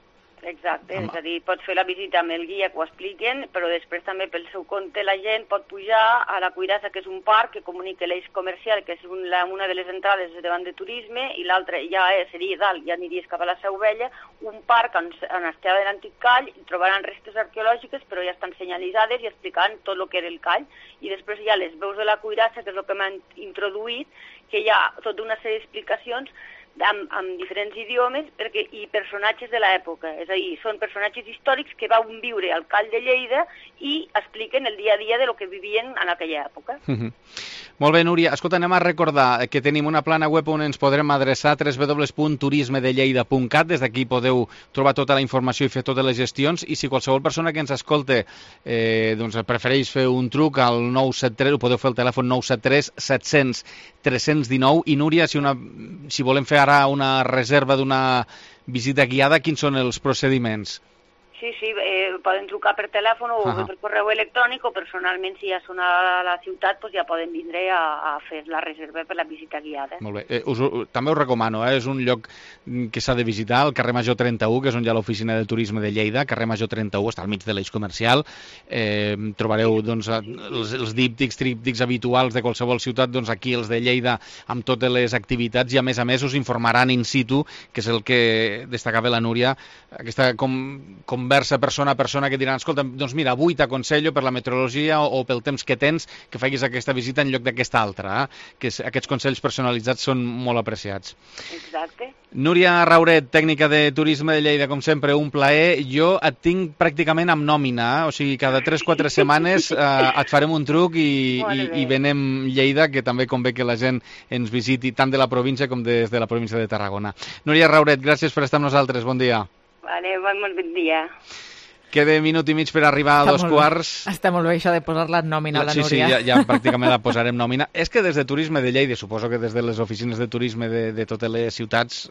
Exacte, és a dir, pots fer la visita amb el guia que ho expliquen, però després també pel seu compte la gent pot pujar a la Cuirassa, que és un parc que comunica l'eix comercial, que és una de les entrades davant de turisme, i l'altra ja seria dalt, ja aniries cap a la Seu Vella, un parc on estava l'antic call, i trobaran restes arqueològiques, però ja estan senyalitzades i explicant tot el que era el call. I després hi ha les veus de la Cuirassa, que és el que m'han introduït, que hi ha tota una sèrie d'explicacions amb diferents idiomes i personatges de l'època. És a dir, són personatges històrics que van viure al Call de Lleida i expliquen el dia a dia de lo que vivien en aquella època. Molt bé, Núria. Escolta, anem a recordar que tenim una plana web on ens podrem adreçar, www.turismedelleida.cat. Des d'aquí podeu trobar tota la informació i fer totes les gestions. I si qualsevol persona que ens escolte prefereix fer un truc al 973, ho podeu fer al telèfon 973 700 319. I Núria, si volem fer ara una reserva d'una visita guiada, quins són els procediments? Sí, poden trucar per telèfon o per correu electrònic, o personalment, si ja són a la ciutat, doncs ja poden vindre a fer la reserva per la visita guiada. Molt bé. També us recomano, és un lloc que s'ha de visitar, el carrer Major 31, que és on hi ha l'oficina de turisme de Lleida. Carrer Major 31 està al mig de l'eix comercial. Trobareu els díptics, tríptics habituals de qualsevol ciutat, aquí els de Lleida, amb totes les activitats, i a més us informaran in situ, que és el que destacava la Núria, aquesta conversa persona a persona, que diran, escolta, doncs mira, avui t'aconsello per la meteorologia o pel temps que tens que facis aquesta visita en lloc d'aquesta altra, que aquests consells personalitzats són molt apreciats. Exacte. Núria Rauret, tècnica de turisme de Lleida, com sempre, un plaer. Jo et tinc pràcticament amb nòmina, o sigui, cada 3-4 setmanes et farem un truc i venem Lleida, que també convé que la gent ens visiti tant de la província com des de la província de Tarragona. Núria Rauret, gràcies per estar amb nosaltres, bon dia. Vale, bon dia. Queda minut i mig per arribar a 2:15. Està molt bé això de posar-la en nòmina, la Núria. Sí, ja pràcticament la posarem nòmina. És que des de Turisme de Lleida, suposo que des de les oficines de turisme de totes les ciutats,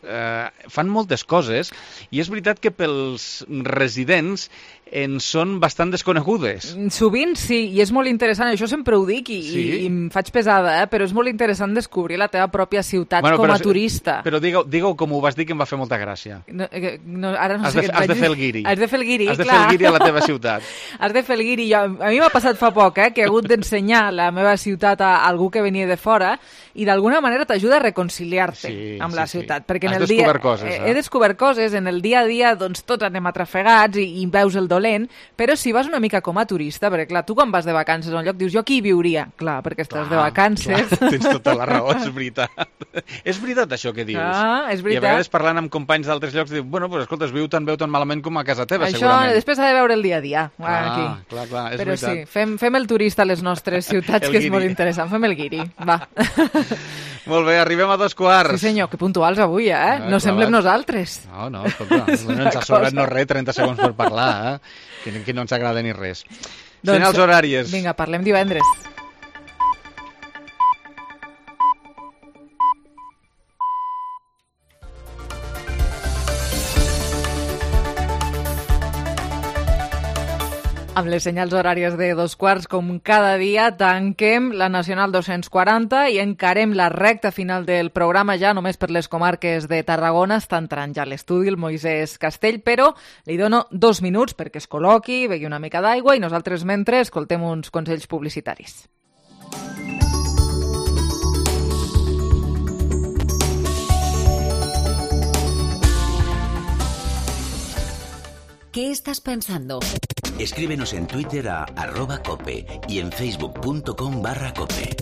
fan moltes coses, i és veritat que pels residents en són bastant desconegudes. Sovint sí, i és molt interessant, això sempre ho dic i em faig pesada, però és molt interessant descobrir la teva pròpia ciutat com a turista. Però digue-ho com ho vas dir, que em va fer molta gràcia. Ara no sé què et vaig dir. Has de fer el guiri. Has de fer el guiri, clar. Has de fer el guiri a la teva ciutat. Has de fer el guiri. A mi m'ha passat fa poc, que he hagut d'ensenyar la meva ciutat a algú que venia de fora, i d'alguna manera t'ajuda a reconciliar-te amb la ciutat. Perquè has descobert coses. He descobert coses, en el dia a dia doncs tots anem atrafegats i veus el dolent, però si vas una mica com a turista, perquè clar, tu quan vas de vacances a un lloc dius, jo aquí hi viuria. Clar, perquè estàs de vacances. Clar, tens tota la raó, és veritat. És veritat això que dius. És veritat. I a vegades parlant amb companys d'altres llocs dius, bueno, pues escolta, es veu tan malament com a casa teva, això, segurament. Això després s'ha de veure el dia a dia. Aquí. Clar, és però veritat. Sí, fem el turista a les nostres ciutats, que és molt interessant. Fem el guiri, va. Molt bé, arribem a 2:15. Sí senyor, que puntuals avui, no semblem nosaltres. No, escolta, no ens ha sobrat no res, 30 segons per parlar, que no ens agrada ni res. Senyals horàries. Vinga, parlem divendres. Amb les senyals horàries de 2:15, com cada dia, tanquem la Nacional 240 i encarem la recta final del programa, ja només per les comarques de Tarragona. Està entrant ja a l'estudi el Moisès Castell, però li dono 2 minuts perquè es col·loqui, begui una mica d'aigua i nosaltres mentre escoltem uns consells publicitaris. ¿Qué estás pensando? Escríbenos en Twitter a @cope y en facebook.com/cope.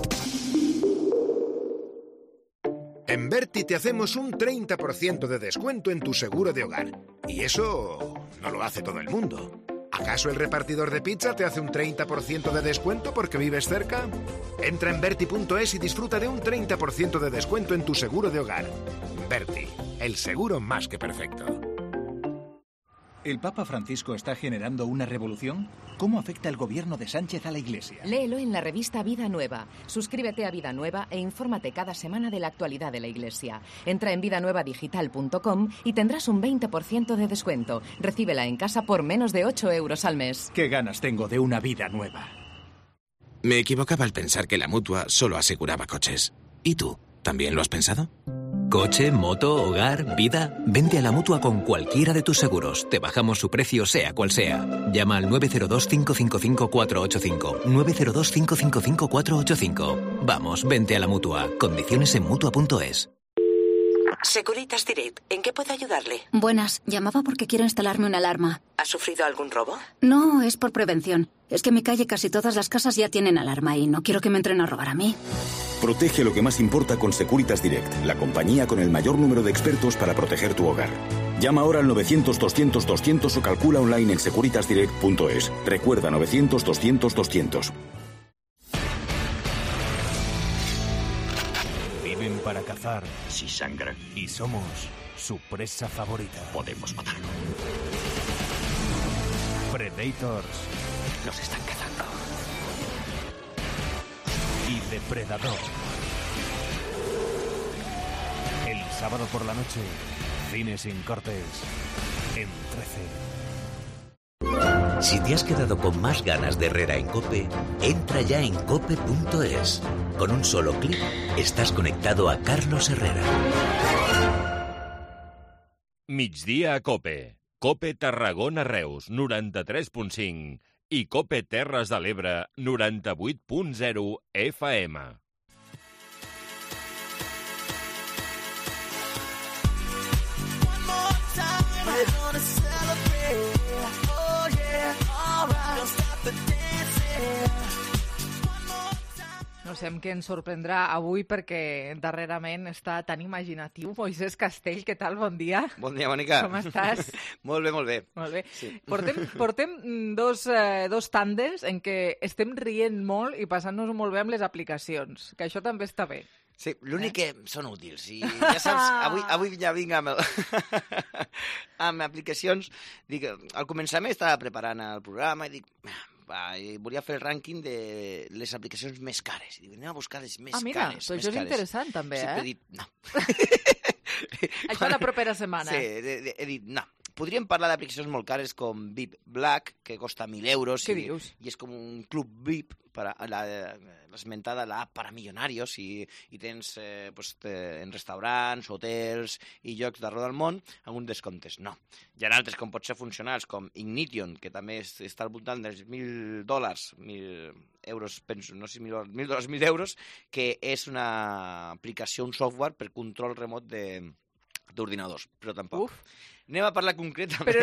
En Berti te hacemos un 30% de descuento en tu seguro de hogar. Y eso no lo hace todo el mundo. ¿Acaso el repartidor de pizza te hace un 30% de descuento porque vives cerca? Entra en Berti.es y disfruta de un 30% de descuento en tu seguro de hogar. Berti, el seguro más que perfecto. ¿El Papa Francisco está generando una revolución? ¿Cómo afecta el gobierno de Sánchez a la Iglesia? Léelo en la revista Vida Nueva. Suscríbete a Vida Nueva e infórmate cada semana de la actualidad de la Iglesia. Entra en vidanuevadigital.com y tendrás un 20% de descuento. Recíbela en casa por menos de 8 euros al mes. ¡Qué ganas tengo de una vida nueva! Me equivocaba al pensar que la Mutua solo aseguraba coches. ¿Y tú? ¿También lo has pensado? Coche, moto, hogar, vida. Vente a la Mutua con cualquiera de tus seguros. Te bajamos su precio sea cual sea. Llama al 902-555-485. 902-555-485. Vamos, vente a la Mutua. Condiciones en Mutua.es. Securitas Direct, ¿en qué puedo ayudarle? Buenas, llamaba porque quiero instalarme una alarma. ¿Ha sufrido algún robo? No, es por prevención. Es que en mi calle casi todas las casas ya tienen alarma y no quiero que me entren a robar a mí. Protege lo que más importa con Securitas Direct, la compañía con el mayor número de expertos para proteger tu hogar. Llama ahora al 900-200-200 o calcula online en securitasdirect.es. Recuerda, 900-200-200. Viven para cazar. Si sangran. Y somos su presa favorita. Podemos matarlo. Predators. Nos están cazando. Y Depredador. El sábado por la noche, Cine sin cortes, en 13. Si te has quedado con más ganas de Herrera en COPE, entra ya en cope.es. Con un solo clic, estás conectado a Carlos Herrera. Migdia a COPE. COPE Tarragona Reus, 93.5. I COPE Terres de l'Ebre, 98.0 FM. No sé amb què ens sorprendrà avui perquè darrerament està tan imaginatiu. Moisès Castell, què tal? Bon dia. Bon dia, Mònica. Com estàs? Molt bé, molt bé. Molt bé. Sí. Portem dos tandes en què estem rient molt i passant-nos molt bé amb les aplicacions, que això també està bé. Sí, l'únic que són útils. I ja saps, avui ja vinc amb aplicacions. Dic, al començament estava preparant el programa i dic, volia fer el rànquing de les aplicacions més cares. I dic, anem a buscar les més cares. Mira, però això és interessant també, sí, he dit, no. Això la propera setmana. Sí, he dit, no. Podríem parlar d'aplicacions molt cares com VIP Black, que costa 1.000 euros. Què dius? I és com un club VIP, l'esmentada l'app para millonarios, i tens en restaurants, hotels i llocs d'arreu del món amb un descomptes. No. Hi ha altres com pot ser funcionals, com Ignition, que també està al voltant dels $1.000, 1.000 euros, penso, no sé, $1.000, 1.000 euros, que és una aplicació, un software per control remot d'ordinadors, però tampoc. Uf. Anem a parlar concretament... Però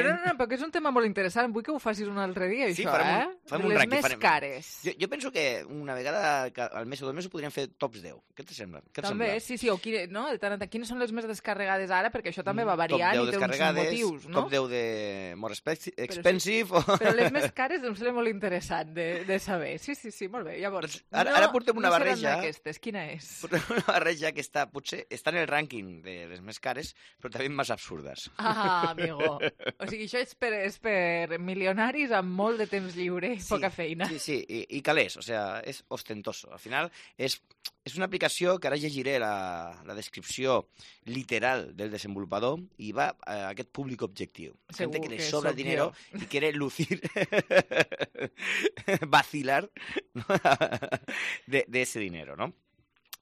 és un tema molt interessant. Vull que ho facis un altre dia, sí, això, farem un les rànquing, més cares. Jo penso que una vegada al mes o 2 mesos podríem fer tops 10. Què te sembla? També, sí, o quines són les més descarregades ara, perquè això també va variant i té uns motius, no? Top 10 de more expensive... Però les més cares em sembla molt interessant de saber. Sí, molt bé. Llavors, ara portem una barreja... No seran aquestes. Quina és? Portem una barreja que potser està en el rànquing de les més cares, però també més absurdes. Amigo. O sigui, això és per milionaris amb molt de temps lliure i poca feina. Sí, i calés, o sea, és ostentoso. Al final, és una aplicació que ara llegiré la descripció literal del desenvolupador i va a aquest públic objectiu. Gente que le sobra dinero y quiere lucir, vacilar, ¿no? de ese dinero, ¿no?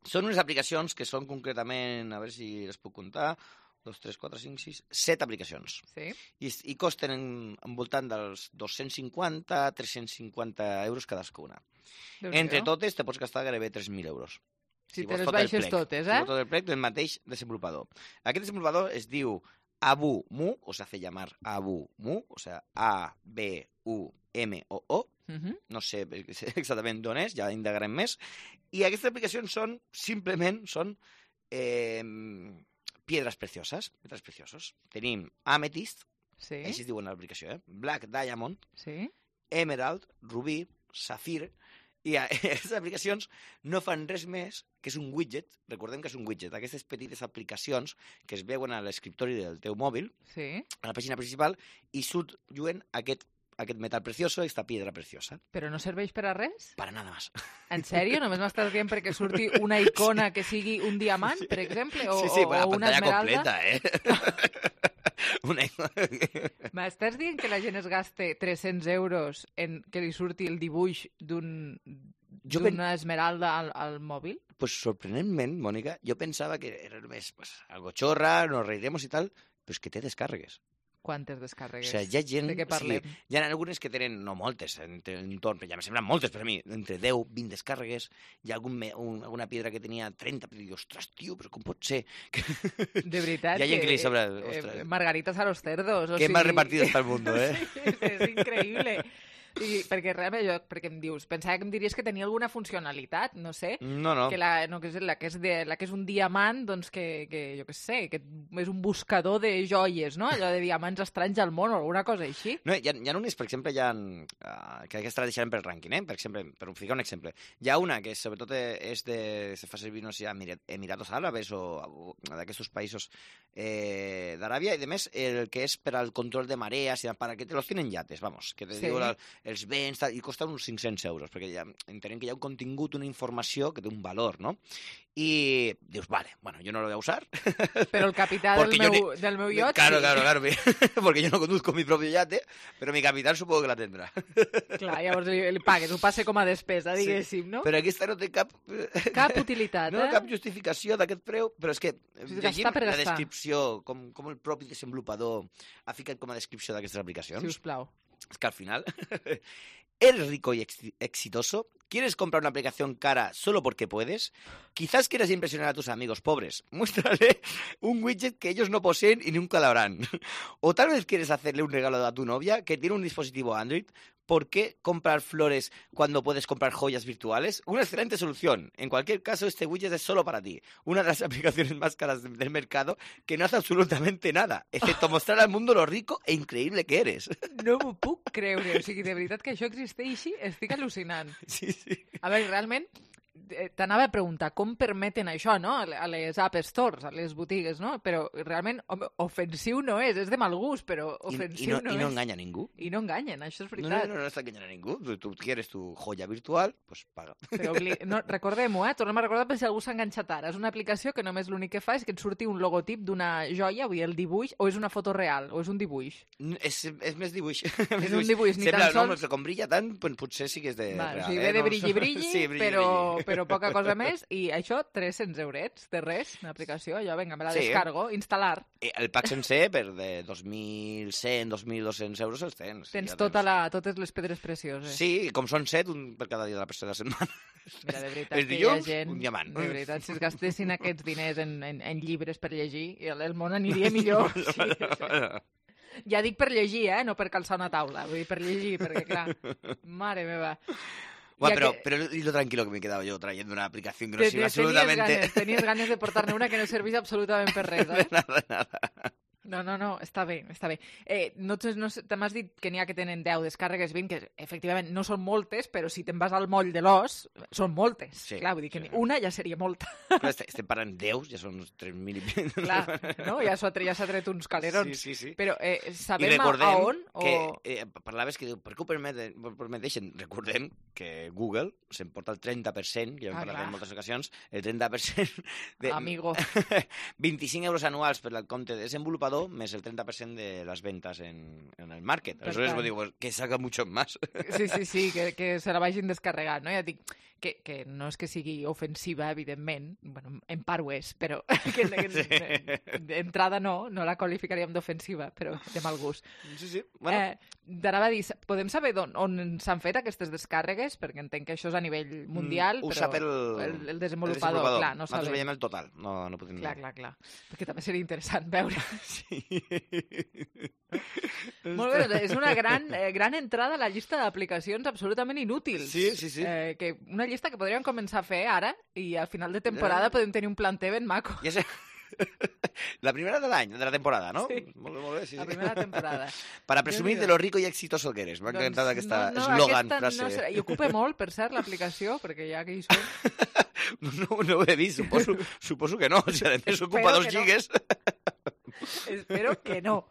Són unes aplicacions que són concretament, a veure si les puc comptar, 2, 3, 4, 5, 6, 7 aplicacions. Sí. I costen envoltant dels 250 a 350 euros cadascuna. Entre totes te pots gastar gairebé 3.000 euros. Si te les baixes totes, eh? Si tot el plec del mateix desenvolupador. Aquest desenvolupador es diu AbuMu, o se hace llamar AbuMu, o sea, A-B-U-M-O-O. No sé exactament d'on és, ja indagarem més. I aquestes aplicacions són, simplement, piedras preciosas, metals preciosos. Tenim Amethyst, així es diu en l'aplicació, Black Diamond, Emerald, Rubí, Safir, i aquestes aplicacions no fan res més que és un widget, recordem que és un widget, aquestes petites aplicacions que es veuen a l'escriptori del teu mòbil, a la pàgina principal, i surt lluent aquest metal precioso, aquesta piedra preciosa. Però no serveix per a res? Para nada más. En sèrio? Només m'estàs dient perquè surti una icona que sigui un diamant, per exemple? Sí, o una esmeralda? Completa, M'estàs dient que la gent es gaste 300 euros en que li surti el dibuix d'una esmeralda al mòbil? Pues sorprenentment, Mònica, jo pensava que era només algo xorra, nos reiremos i tal, però és que té descàrregues. Quantes descàrregues? O sigui, hi ha gent... De què parlem? O sigui, hi ha algunes que tenen, no moltes, entorn, ja me semblen moltes per a mi, entre 10, 20 descàrregues. Hi ha alguna piedra que tenia 30, però dic, ostres, tio, però com pot ser? De veritat, hi ha gent que li sobra... Margaritas a los cerdos. Qué mal repartido está el mundo, ¿eh? Sí, es increíble. Perquè realment perquè em dius, pensava que em diries que tenia alguna funcionalitat, no sé. No. Que la que és un diamant, doncs que jo què sé, que és un buscador de joies, no? Allò de diamants estranys al món o alguna cosa així. No, hi ha unes, per exemple, que aquesta la deixarem pel rànquing, per exemple, per ficar un exemple. Hi ha una que sobretot se fa servir, no sé, a Emiratos Àrabes o d'aquests països d'Aràbia, i a més el que és per al control de marees, para que te los tienen yates, vamos, que te diu els vents, i costa uns 500 euros, perquè entenem que hi ha un contingut, una informació que té un valor, no? Y dius, vale, bueno, yo no lo voy a usar. Pero el capital del meu yacht, claro, porque yo no conduzco mi propio yate, pero mi capital supongo que la tendrà. Clar, llavors li pagues, ho passe com a despesa, diguéssim, no? Però aquesta no té cap utilitat, cap justificació d'aquest preu, però és que llegim la descripció, com el propi desenvolupador ha ficat com a descripció d'aquestes aplicacions. Sisplau. Es que al final, ¿eres rico y exitoso? ¿Quieres comprar una aplicación cara solo porque puedes? Quizás quieras impresionar a tus amigos pobres. Muéstrale un widget que ellos no poseen y nunca lo harán. O tal vez quieres hacerle un regalo a tu novia que tiene un dispositivo Android. ¿Por qué comprar flores cuando puedes comprar joyas virtuales? Una excelente solución. En cualquier caso, este widget es solo para ti. Una de las aplicaciones más caras del mercado que no hace absolutamente nada, excepto mostrar al mundo lo rico e increïble que eres. No m'ho puc creure. O sigui, de veritat que això existeixi, estic al·lucinant. Sí. A veure, realment, t'anava a preguntar com permeten això, no?, a les App Stores, a les botigues, no? Però realment ofensiu no és de mal gust, però ofensiu no és. I no enganya ningú. I no enganyen, això és veritat. No està enganyant a ningú. Tu quieres tu joia virtual, pues paga. Però recordem-ho, tornem a recordar per si algú s'ha enganxat ara. És una aplicació que només l'únic que fa és que et surti un logotip d'una joia, vull dir, el dibuix, o és una foto real, o és un dibuix? És més dibuix. És un dibuix, ni tan sols... Sembla, com brilla tant, potser sí que és de real. O sigui, ve de brilli, però poca cosa més, i això 300 eurets, de res, una aplicació, allò, vinga, me la descargo, instal·lar. El pack sencer per de 2.100, 2.200 euros els tens. Tens totes les pedres precioses. Sí, com són 7, un per cada dia de la setmana. Mira, de veritat, els dilluns, un diamant. De veritat, si es gastessin aquests diners en llibres per llegir, el món aniria millor. Ja dic per llegir, no per calçar una taula, vull dir, per llegir, perquè clar, mare meva. Bueno, pero lo tranquilo que me he quedado yo trayendo una aplicación que no sirve absolutamente... Tenies ganes de portar-ne una que no servís absolutament per res, eh? Nada. No, està bé. M'has dit que n'hi ha que tenen 10 descàrregues, 20, que efectivament no són moltes, però si te'n vas al moll de l'os, són moltes. Sí, clar, vull dir que una ja seria molta. Però estem parlant 10, ja són uns 3.000 i... Clar, no? Ja s'ha tret uns calerons. Sí. Però sabem a on? Parlaves que diu, per què ho permeteixen? Recordem que Google s'emporta el 30%, que ja hem parlat en moltes ocasions, el 30% de... Amigo. 25 euros anuals per al compte de desenvolupador, més el 30% de les ventas en el market. Entonces digo, pues, que salga mucho más. Sí, que se la vagin descarregant, no? Ja dic que no és que sigui ofensiva, evidentment, bueno, en part ho és, però d'entrada no la qualificaríem d'ofensiva, però de mal gust. Sí. Bueno. D'anava a dir, podem saber on s'han fet aquestes descàrregues? Perquè entenc que això és a nivell mundial, ho però sap el desenvolupador, clar, no sabem. Nosaltres veiem el total, no podem dir. Clar. Perquè també seria interessant veure. Sí. Molt bé, és una gran entrada a la llista d'aplicacions absolutament inútils. Sí. Que una llista que podríem començar a fer ara i al final de temporada podem tenir un planter ben maco. Ja sé. La primera de l'any, de la temporada, ¿no? Sí. Molt bé, sí. La primera temporada. Para presumir de lo rico y exitoso que eres. M'ha encantat aquesta eslògan, frase. I ocupa molt, per cert, l'aplicació, perquè ja que hi som... No ho he vist, suposo que no. Si a més ocupa 2 gigas... Espero que no.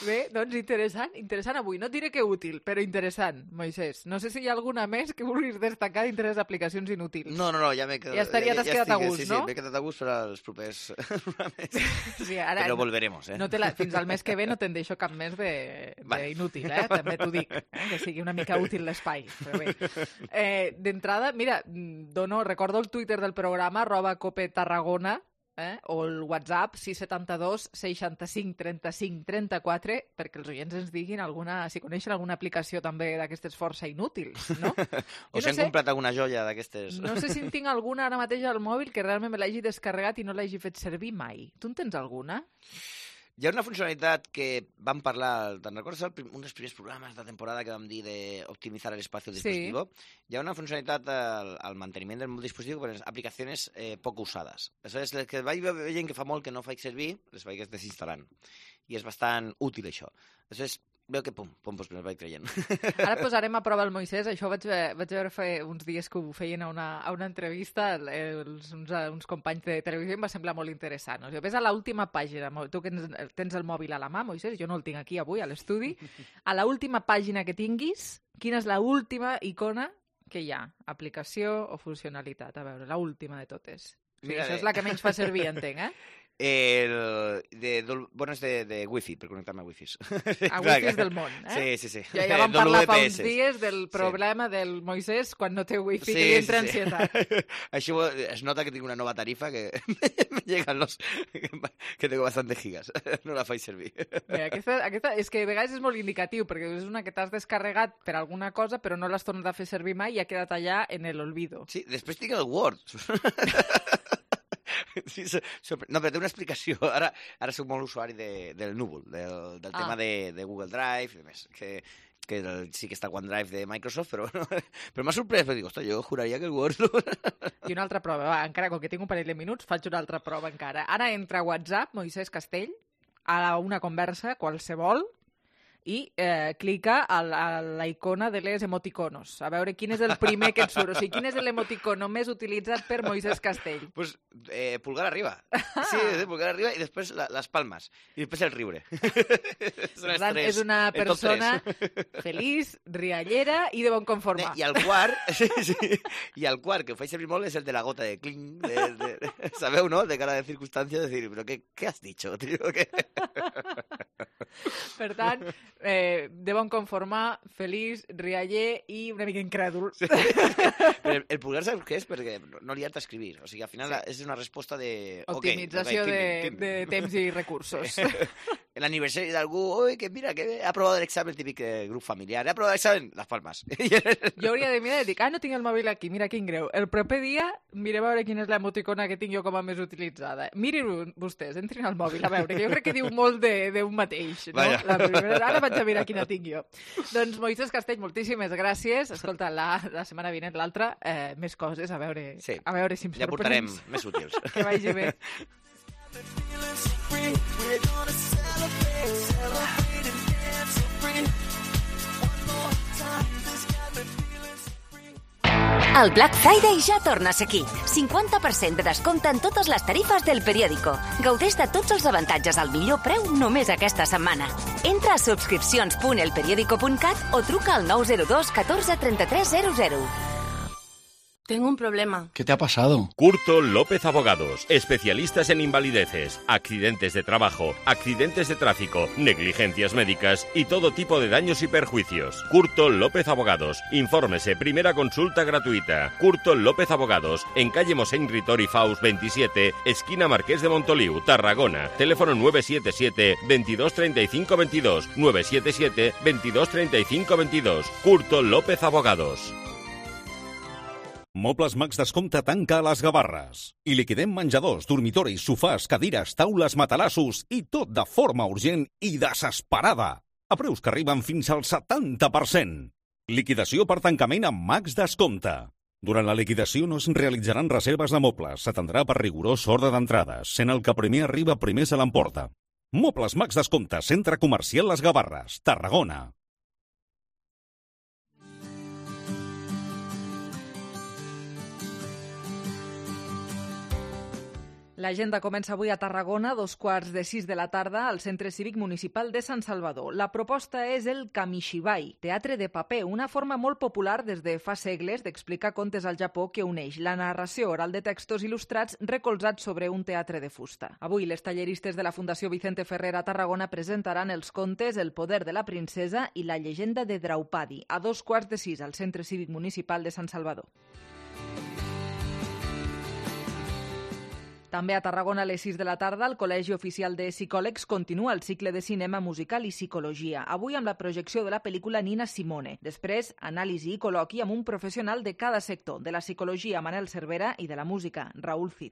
Bé, doncs interessant avui. No et diré que útil, però interessant, Moisés. No sé si hi ha alguna més que vulguis destacar dintre les aplicacions inútils. No, ja m'he quedat... Ja t'has quedat a gust, no? Sí, m'he quedat a gust per als propers... Sí, ara, però volveremos, eh? Fins al mes que ve no te'n deixo cap més d'inútil, també t'ho dic. Que sigui una mica útil l'espai. Però bé. D'entrada, mira, recordo el Twitter del programa, @copetarragona, o el WhatsApp 672 65 35 34 perquè els oients ens diguin si coneixen alguna aplicació també d'aquestes força inútils, no? O si han comprat alguna joia d'aquestes... No sé si en tinc alguna ara mateix al mòbil que realment me l'hagi descarregat i no l'hagi fet servir mai. Tu en tens alguna? Hi ha una funcionalitat que vam parlar, te'n recordes un dels primers programes de temporada que vam dir d'optimitzar l'espai del dispositivo? Hi ha una funcionalitat al manteniment del dispositiu per aplicacions poc usades. Això és el que vaig veient que fa molt que no faig servir, les vaig desinstal·lant. I és bastant útil, això. Això és veu que doncs me vaig creient. Ara posarem a prova el Moisès, això vaig veure fa uns dies que ho feien a una entrevista uns companys de televisió i em va semblar molt interessant. O sigui, ves a l'última pàgina, tu que tens el mòbil a la mà, Moisès, jo no el tinc aquí avui a l'estudi, a l'última pàgina que tinguis, quina és l'última icona que hi ha? Aplicació o funcionalitat? A veure, l'última de totes. O sigui, això és la que menys fa servir, entenc, és de Wi-Fi, per connectar-me a Wi-Fi. A Wi-Fi del món, Sí. Ja vam parlar fa uns dies del problema del Moisès quan no té Wi-Fi, que li entra ansietat. Això es nota que tinc una nova tarifa que me llegan que tengo bastantes gigas. No la faig servir. Bé, aquesta és que a vegades és molt indicatiu, perquè és una que t'has descarregat per alguna cosa, però no l'has tornat a fer servir mai i ha quedat allà en l'olvido. Sí, després tinc el Word. No, però té una explicació. Ara soc molt usuari del núvol, del tema de Google Drive i demés, que sí que està OneDrive de Microsoft, però m'ha sorprès, perquè dic, ostres, jo juraria que el Word... I una altra prova, encara com que tinc un parell de minuts, faig una altra prova encara. Ara entra a WhatsApp, Moisès Castell, a una conversa qualsevol, i clica a la icona de les emoticonos. A veure quin és el primer que et surt. O sigui, quin és l'emoticono més utilitzat per Moisès Castell? Pues pulgar arriba. Sí, pulgar arriba i després les palmes. I després el riure. És una persona feliç, riallera i de bon conformar. I el quart, que ho faig servir molt, és el de la gota de cling. Sabeu, no? De cara de circunstància, de dir, però què has dicho, tio? Per tant, de bon conformar, feliç, rialler i una mica incrèdul. Sí. El pulgar saps què és? Perquè no li has d'escriure. O sigui, al final és una resposta de... Optimització de temps i recursos. L'aniversari d'algú, oi, que mira, que ha aprovat l'examen típic grup familiar. Ha aprovat l'examen, les palmes. Jo hauria de mirar i dic, no tinc el mòbil aquí, mira quin greu. El proper dia mirem a veure quina és l'emoticona que tinc jo com a més utilitzada. Mirin vostès, entrin al mòbil a veure, que jo crec que diu molt d'un mateix. No? La primera, ara vaig a mirar quina tinc jo. Doncs Moisès Castell, moltíssimes gràcies. Escolta, la setmana vinent, l'altra, més coses, a veure si em sorprens. Ja portarem més útils. Que vagi bé. El Black Friday ja torna a ser aquí. 50% de descompte en totes les tarifes del periòdico. Gaudeix de tots els avantatges al millor preu només aquesta setmana. Entra a subscripcions.elperiodico.cat o truca al 902 14 33 00. Tengo un problema. ¿Qué te ha pasado? Curto López Abogados, especialistas en invalideces, accidentes de trabajo, accidentes de tráfico, negligencias médicas y todo tipo de daños y perjuicios. Curto López Abogados, infórmese, primera consulta gratuita. Curto López Abogados, en calle Mosén Ritori Faus 27, esquina Marqués de Montoliu, Tarragona. Teléfono 977 22 35 22, 977 22 35 22. Curto López Abogados. Mobles Max Descompte tanca a les Gavarres. I liquidem menjadors, dormitoris, sofàs, cadires, taules, matalassos i tot de forma urgent i desesperada. A preus que arriben fins al 70%. Liquidació per tancament amb Max Descompte. Durant la liquidació no es realitzaran reserves de mobles. S'atendrà per rigorós ordre d'entrades, sent el que primer arriba primer se l'emporta. Mobles Max Descompte, Centre Comercial Les Gavarres, Tarragona. L'agenda comença avui a Tarragona, 5:15 de la tarda, al Centre Cívic Municipal de Sant Salvador. La proposta és el Kamishibai, teatre de paper, una forma molt popular des de fa segles d'explicar contes al Japó que uneix la narració oral de textos il·lustrats recolzats sobre un teatre de fusta. Avui, les talleristes de la Fundació Vicente Ferrer a Tarragona presentaran els contes El poder de la princesa i la llegenda de Draupadi, a 5:15 al Centre Cívic Municipal de Sant Salvador. També a Tarragona a les 6 de la tarda, el Col·legi Oficial de Psicòlegs continua el cicle de cinema musical i psicologia, avui amb la projecció de la pel·lícula Nina Simone. Després, anàlisi i col·loqui amb un professional de cada sector, de la psicologia Manel Cervera i de la música Raúl Cid.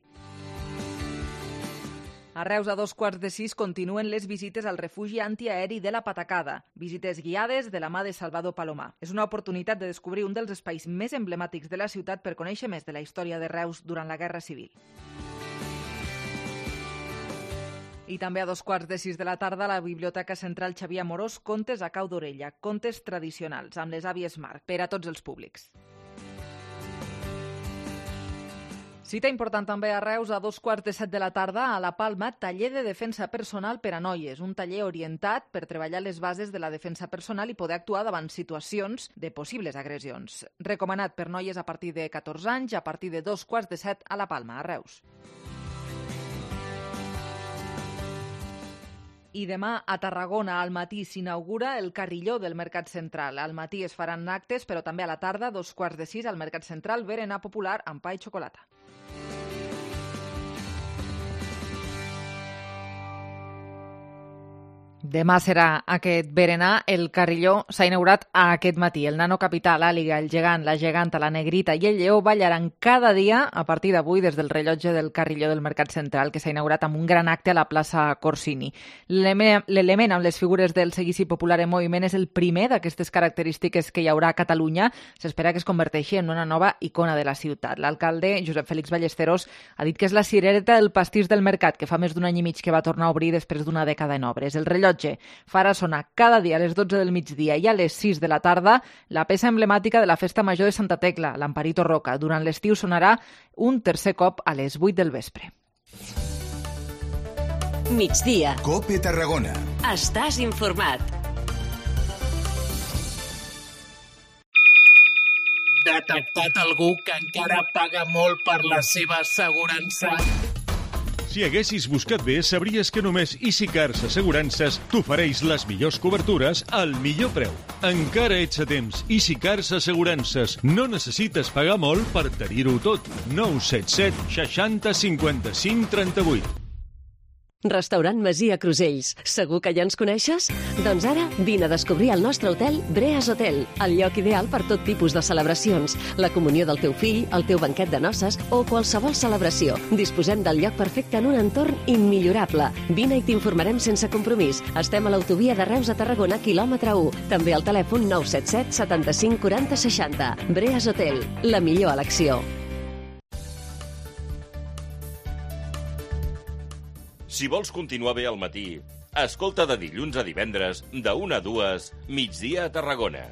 A Reus, a 5:15, continuen les visites al refugi antiaeri de la Patacada. Visites guiades de la mà de Salvador Palomar. És una oportunitat de descobrir un dels espais més emblemàtics de la ciutat per conèixer més de la història de Reus durant la Guerra Civil. I també a 5:15 de la tarda, a la Biblioteca Central Xavier Amorós, contes a cau d'orella, contes tradicionals, amb les àvies Marc, per a tots els públics. Cita important també a Reus a 6:15 de la tarda, a la Palma, taller de defensa personal per a noies, un taller orientat per treballar les bases de la defensa personal i poder actuar davant situacions de possibles agressions. Recomanat per noies a partir de 14 anys, a partir de 6:15 a la Palma, a Reus. I demà a Tarragona al matí s'inaugura el carrilló del Mercat Central. Al matí es faran actes, però també a la tarda, 5:15 al Mercat Central, berenar popular amb pa i xocolata. Demà serà aquest berenar. El carrilló s'ha inaugurat aquest matí. El nano capità, l'àliga, el gegant, la geganta, la negrita i el lleó ballaran cada dia a partir d'avui des del rellotge del carrilló del Mercat Central, que s'ha inaugurat amb un gran acte a la plaça Corsini. L'element amb les figures del seguici popular en moviment és el primer d'aquestes característiques que hi haurà a Catalunya. S'espera que es converteixi en una nova icona de la ciutat. L'alcalde, Josep Félix Ballesteros, ha dit que és la cirereta del pastís del mercat, que fa més d'un any i mig que va tornar a obrir després d'una dècada en obres. El rellotge farà sonar cada dia a les 12 del migdia i a les 6 de la tarda la peça emblemàtica de la Festa Major de Santa Tecla, l'Amparito Roca. Durant l'estiu sonarà un tercer cop a les 8 del vespre. Migdia. COPE Tarragona. Estàs informat. Detectat algú que encara paga molt per la seva assegurança? Si haguessis buscat bé, sabries que només EasyCars Assegurances t'ofereix les millors cobertures al millor preu. Encara ets a temps. EasyCars Assegurances. No necessites pagar molt per tenir-ho tot. 977 60 55 38. Restaurant Masia Crusells. Segur que ja ens coneixes? Doncs ara vine a descobrir el nostre hotel Breas Hotel, el lloc ideal per tot tipus de celebracions, la comunió del teu fill, el teu banquet de noces o qualsevol celebració. Disposem del lloc perfecte en un entorn immillorable. Vine i t'informarem sense compromís. Estem a l'autovia de Reus a Tarragona, quilòmetre 1. També al telèfon 977 75 40 60. Breas Hotel, la millor elecció. Si vols continuar bé al matí, escolta de dilluns a divendres, de 1 a 2, Migdia a Tarragona.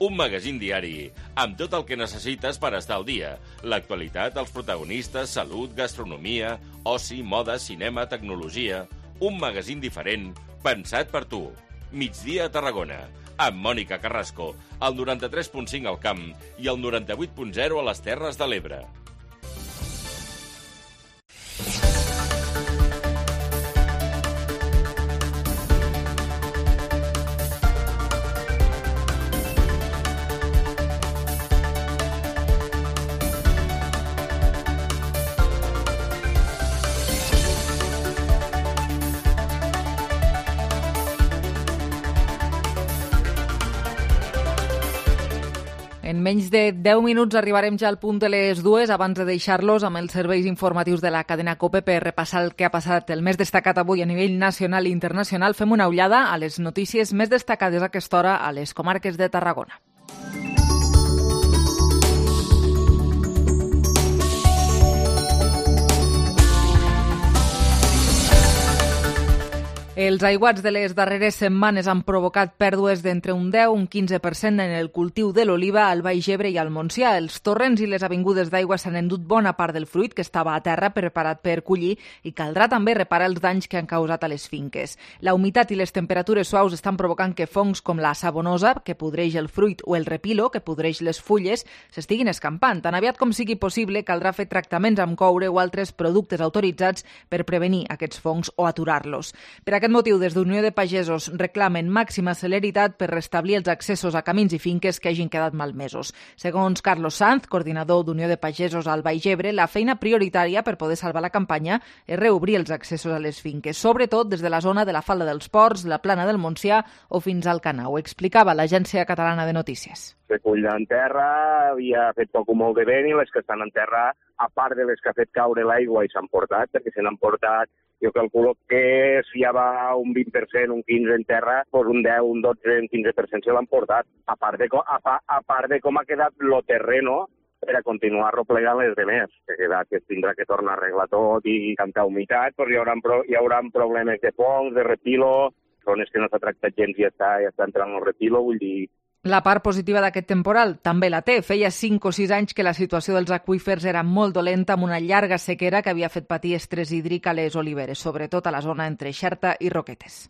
Un magazín diari amb tot el que necessites per estar al dia. L'actualitat, els protagonistes, salut, gastronomia, oci, moda, cinema, tecnologia. Un magazín diferent, pensat per tu. Migdia a Tarragona, amb Mònica Carrasco, al 93.5 al Camp i al 98.0 a les Terres de l'Ebre. En menys de 10 minuts arribarem ja al punt de les 2, abans de deixar-los amb els serveis informatius de la cadena COPE per repassar el que ha passat el més destacat avui a nivell nacional i internacional. Fem una ullada a les notícies més destacades a aquesta hora a les comarques de Tarragona. Els aiguats de les darreres setmanes han provocat pèrdues d'entre un 10 i un 15% en el cultiu de l'oliva al Baix Ebre i al Montsià. Els torrents i les avingudes d'aigua s'han endut bona part del fruit que estava a terra preparat per collir i caldrà també reparar els danys que han causat a les finques. La humitat i les temperatures suaus estan provocant que fongs com la sabonosa, que podreix el fruit, o el repilo, que podreix les fulles, s'estiguin escampant. Tan aviat com sigui possible, caldrà fer tractaments amb coure o altres productes autoritzats per prevenir aquests fongs o aturar-los. Per aquest motiu, des d'Unió de Pagesos reclamen màxima celeritat per restablir els accessos a camins i finques que hagin quedat malmesos. Segons Carlos Sanz, coordinador d'Unió de Pagesos al Baix Ebre, la feina prioritària per poder salvar la campanya és reobrir els accessos a les finques, sobretot des de la zona de la Falda dels Ports, la Plana del Montsià o fins al Canà. Ho explicava l'Agència Catalana de Notícies. Se cull en terra, havia fet poc o molt de vent i les que estan en terra, a part de les que ha fet caure l'aigua i s'han portat, perquè se n'han portat, jo calculo que si ja va un 20%, un 15% en terra, doncs un 10, un 12, un 15% se l'han portat. A part de com ha quedat lo terreno, per a continuar replegant les demés, que tindrà que tornar a arreglar tot i tanta humitat, doncs hi haurà problemes de fongs, de repilo, zones que no s'ha tractat gens i ja està entrant el repilo, vull dir... La part positiva d'aquest temporal també la té. Feia 5 o 6 anys que la situació dels aqüífers era molt dolenta, amb una llarga sequera que havia fet patir estrès hídric a les oliveres, sobretot a la zona entre Xerta i Roquetes.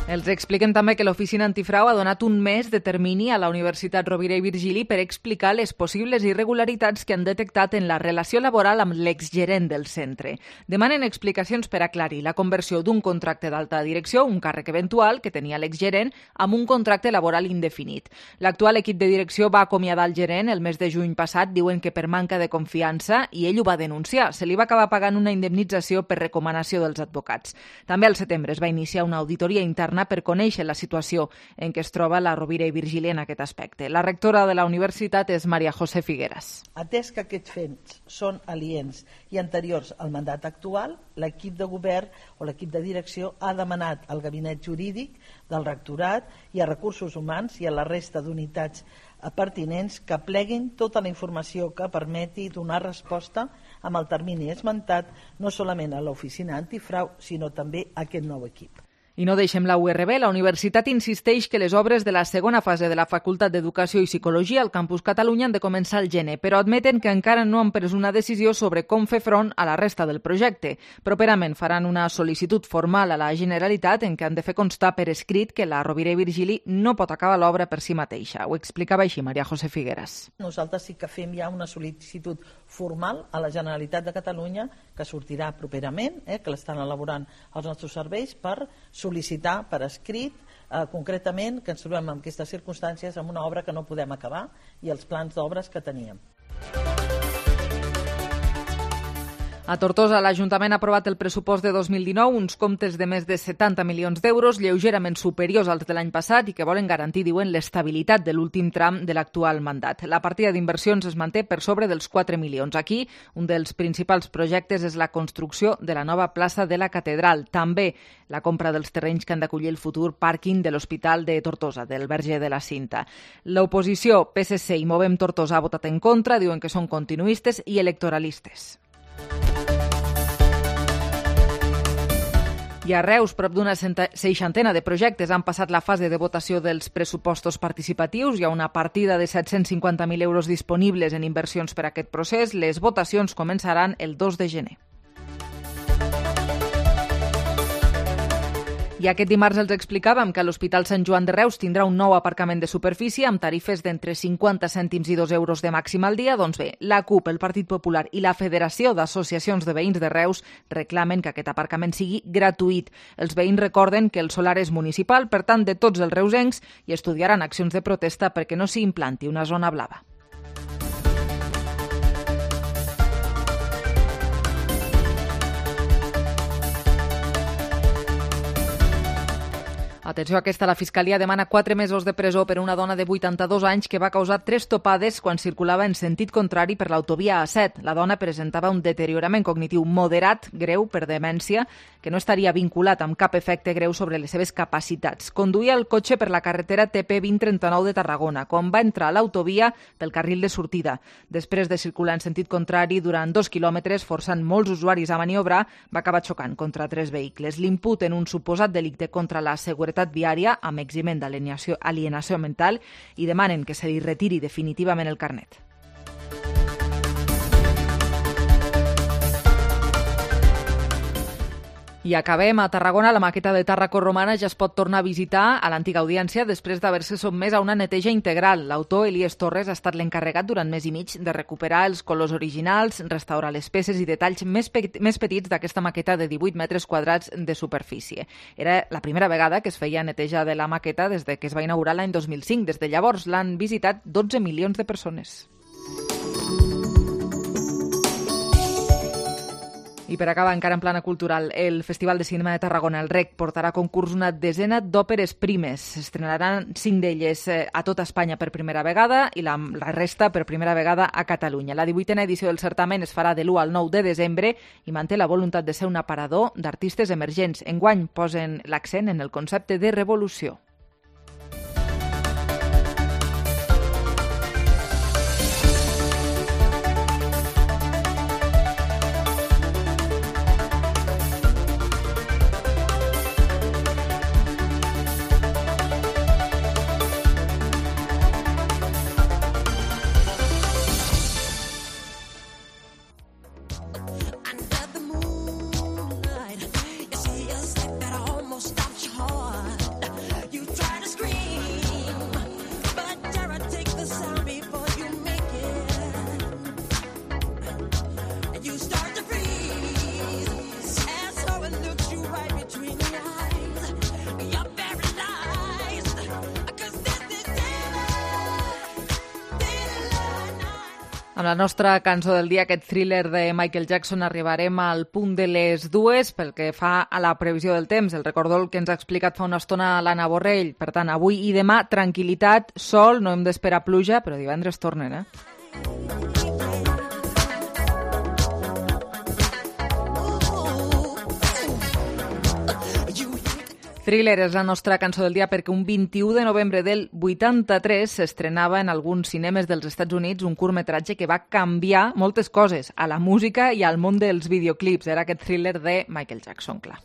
Els expliquem també que l'Oficina Antifrau ha donat un mes de termini a la Universitat Rovira i Virgili per explicar les possibles irregularitats que han detectat en la relació laboral amb l'exgerent del centre. Demanen explicacions per aclarir la conversió d'un contracte d'alta direcció, un càrrec eventual que tenia l'exgerent, amb un contracte laboral indefinit. L'actual equip de direcció va acomiadar el gerent el mes de juny passat, diuen que per manca de confiança, i ell ho va denunciar. Se li va acabar pagant una indemnització per recomanació dels advocats. També al setembre es va iniciar una auditoria interna per conèixer la situació en què es troba la Rovira i Virgili en aquest aspecte. La rectora de la universitat és Maria José Figueras. Atès que aquests fets són aliens i anteriors al mandat actual, l'equip de govern o l'equip de direcció ha demanat al gabinet jurídic del rectorat i a recursos humans i a la resta d'unitats pertinents que pleguin tota la informació que permeti donar resposta amb el termini esmentat no solament a l'oficina antifrau, sinó també a aquest nou equip. I no deixem la URB. La universitat insisteix que les obres de la segona fase de la Facultat d'Educació i Psicologia al Campus Catalunya han de començar al gener, però admeten que encara no han pres una decisió sobre com fer front a la resta del projecte. Properament faran una sol·licitud formal a la Generalitat en què han de fer constar per escrit que la Rovira i Virgili no pot acabar l'obra per si mateixa. Ho explicava així Maria José Figueras. Nosaltres sí que fem ja una sol·licitud formal a la Generalitat de Catalunya que sortirà properament, que l'estan elaborant els nostres serveis per sol·licitar per escrit concretament que ens trobem en aquestes circumstàncies amb una obra que no podem acabar i els plans d'obres que teníem. A Tortosa, l'Ajuntament ha aprovat el pressupost de 2019, uns comptes de més de 70 milions d'euros, lleugerament superiors als de l'any passat i que volen garantir, diuen, l'estabilitat de l'últim tram de l'actual mandat. La partida d'inversions es manté per sobre dels 4 milions. Aquí, un dels principals projectes és la construcció de la nova plaça de la Catedral. També la compra dels terrenys que han d'acollir el futur pàrquing de l'Hospital de Tortosa, del Verger de la Cinta. L'oposició, PSC i Movem Tortosa, ha votat en contra, diuen que són continuistes i electoralistes. I a Reus, prop d'una 60 de projectes han passat la fase de votació dels pressupostos participatius. Hi ha una partida de 750.000 euros disponibles en inversions per a aquest procés. Les votacions començaran el 2 de gener. I aquest dimarts els explicàvem que l'Hospital Sant Joan de Reus tindrà un nou aparcament de superfície amb tarifes d'entre 50 cèntims i 2 euros de màxim al dia. Doncs bé, la CUP, el Partit Popular i la Federació d'Associacions de Veïns de Reus reclamen que aquest aparcament sigui gratuït. Els veïns recorden que el solar és municipal, per tant, de tots els reusencs, i estudiaran accions de protesta perquè no s'hi implanti una zona blava. Atenció, aquesta, la Fiscalia demana 4 mesos de presó per una dona de 82 anys que va causar 3 topades quan circulava en sentit contrari per l'autovia A7. La dona presentava un deteriorament cognitiu moderat, greu, per demència, que no estaria vinculat amb cap efecte greu sobre les seves capacitats. Conduïa el cotxe per la carretera TP 2039 de Tarragona, quan va entrar a l'autovia pel carril de sortida. Després de circular en sentit contrari durant 2 quilòmetres, forçant molts usuaris a maniobrar, va acabar xocant contra 3 vehicles. L'imputen un suposat delicte contra la seguretat viària amb eximent d'alienació mental i demanen que se li retiri definitivament el carnet. I acabem a Tarragona. La maqueta de Tàrraco Romana ja es pot tornar a visitar a l'antiga audiència després d'haver-se sotmès a una neteja integral. L'autor, Elies Torres, ha estat l'encarregat durant mes i mig de recuperar els colors originals, restaurar les peces i detalls més petits d'aquesta maqueta de 18 metres quadrats de superfície. Era la primera vegada que es feia neteja de la maqueta des de que es va inaugurar l'any 2005. Des de llavors l'han visitat 12 milions de persones. I per acabar, encara en plana cultural, el Festival de Cinema de Tarragona, el REC, portarà a concurs una desena d'òperes primes. S'estrenaran 5 d'elles a tota Espanya per primera vegada i la resta per primera vegada a Catalunya. La 18a edició del certamen es farà de l'1 al 9 de desembre i manté la voluntat de ser un aparador d'artistes emergents. Enguany posen l'accent en el concepte de revolució. Amb la nostra cançó del dia, aquest thriller de Michael Jackson, arribarem al punt de les 2 pel que fa a la previsió del temps. El recordo el que ens ha explicat fa una estona l'Anna Borrell. Per tant, avui i demà, tranquil·litat, sol, no hem d'esperar pluja, però divendres tornen, Thriller és la nostra cançó del dia perquè un 21 de novembre del 83 s'estrenava en alguns cinemes dels Estats Units un curtmetratge que va canviar moltes coses a la música i al món dels videoclips. Era aquest Thriller de Michael Jackson, clar.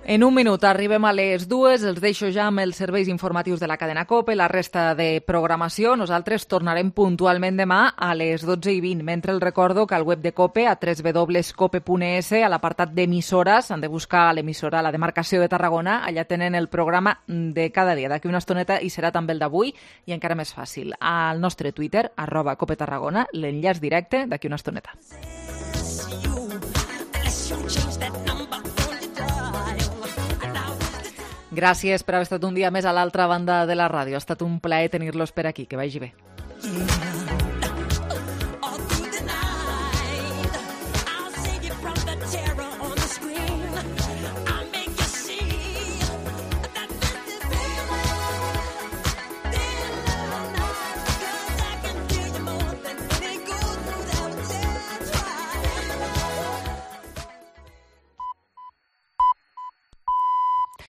En un minut arribem a les 2, els deixo ja amb els serveis informatius de la cadena COPE, la resta de programació. Nosaltres tornarem puntualment demà a les 12:20. Mentre el recordo que al web de COPE, a www.cope.es, a l'apartat d'emissores, han de buscar l'emissora, la demarcació de Tarragona, allà tenen el programa de cada dia. D'aquí una estoneta hi serà també el d'avui i encara més fàcil. Al nostre Twitter, @COPETarragona, l'enllaç directe d'aquí una estoneta. Gràcies per haver estat un dia més a l'altra banda de la ràdio. Ha estat un plaer tenir-los per aquí. Que vagi bé.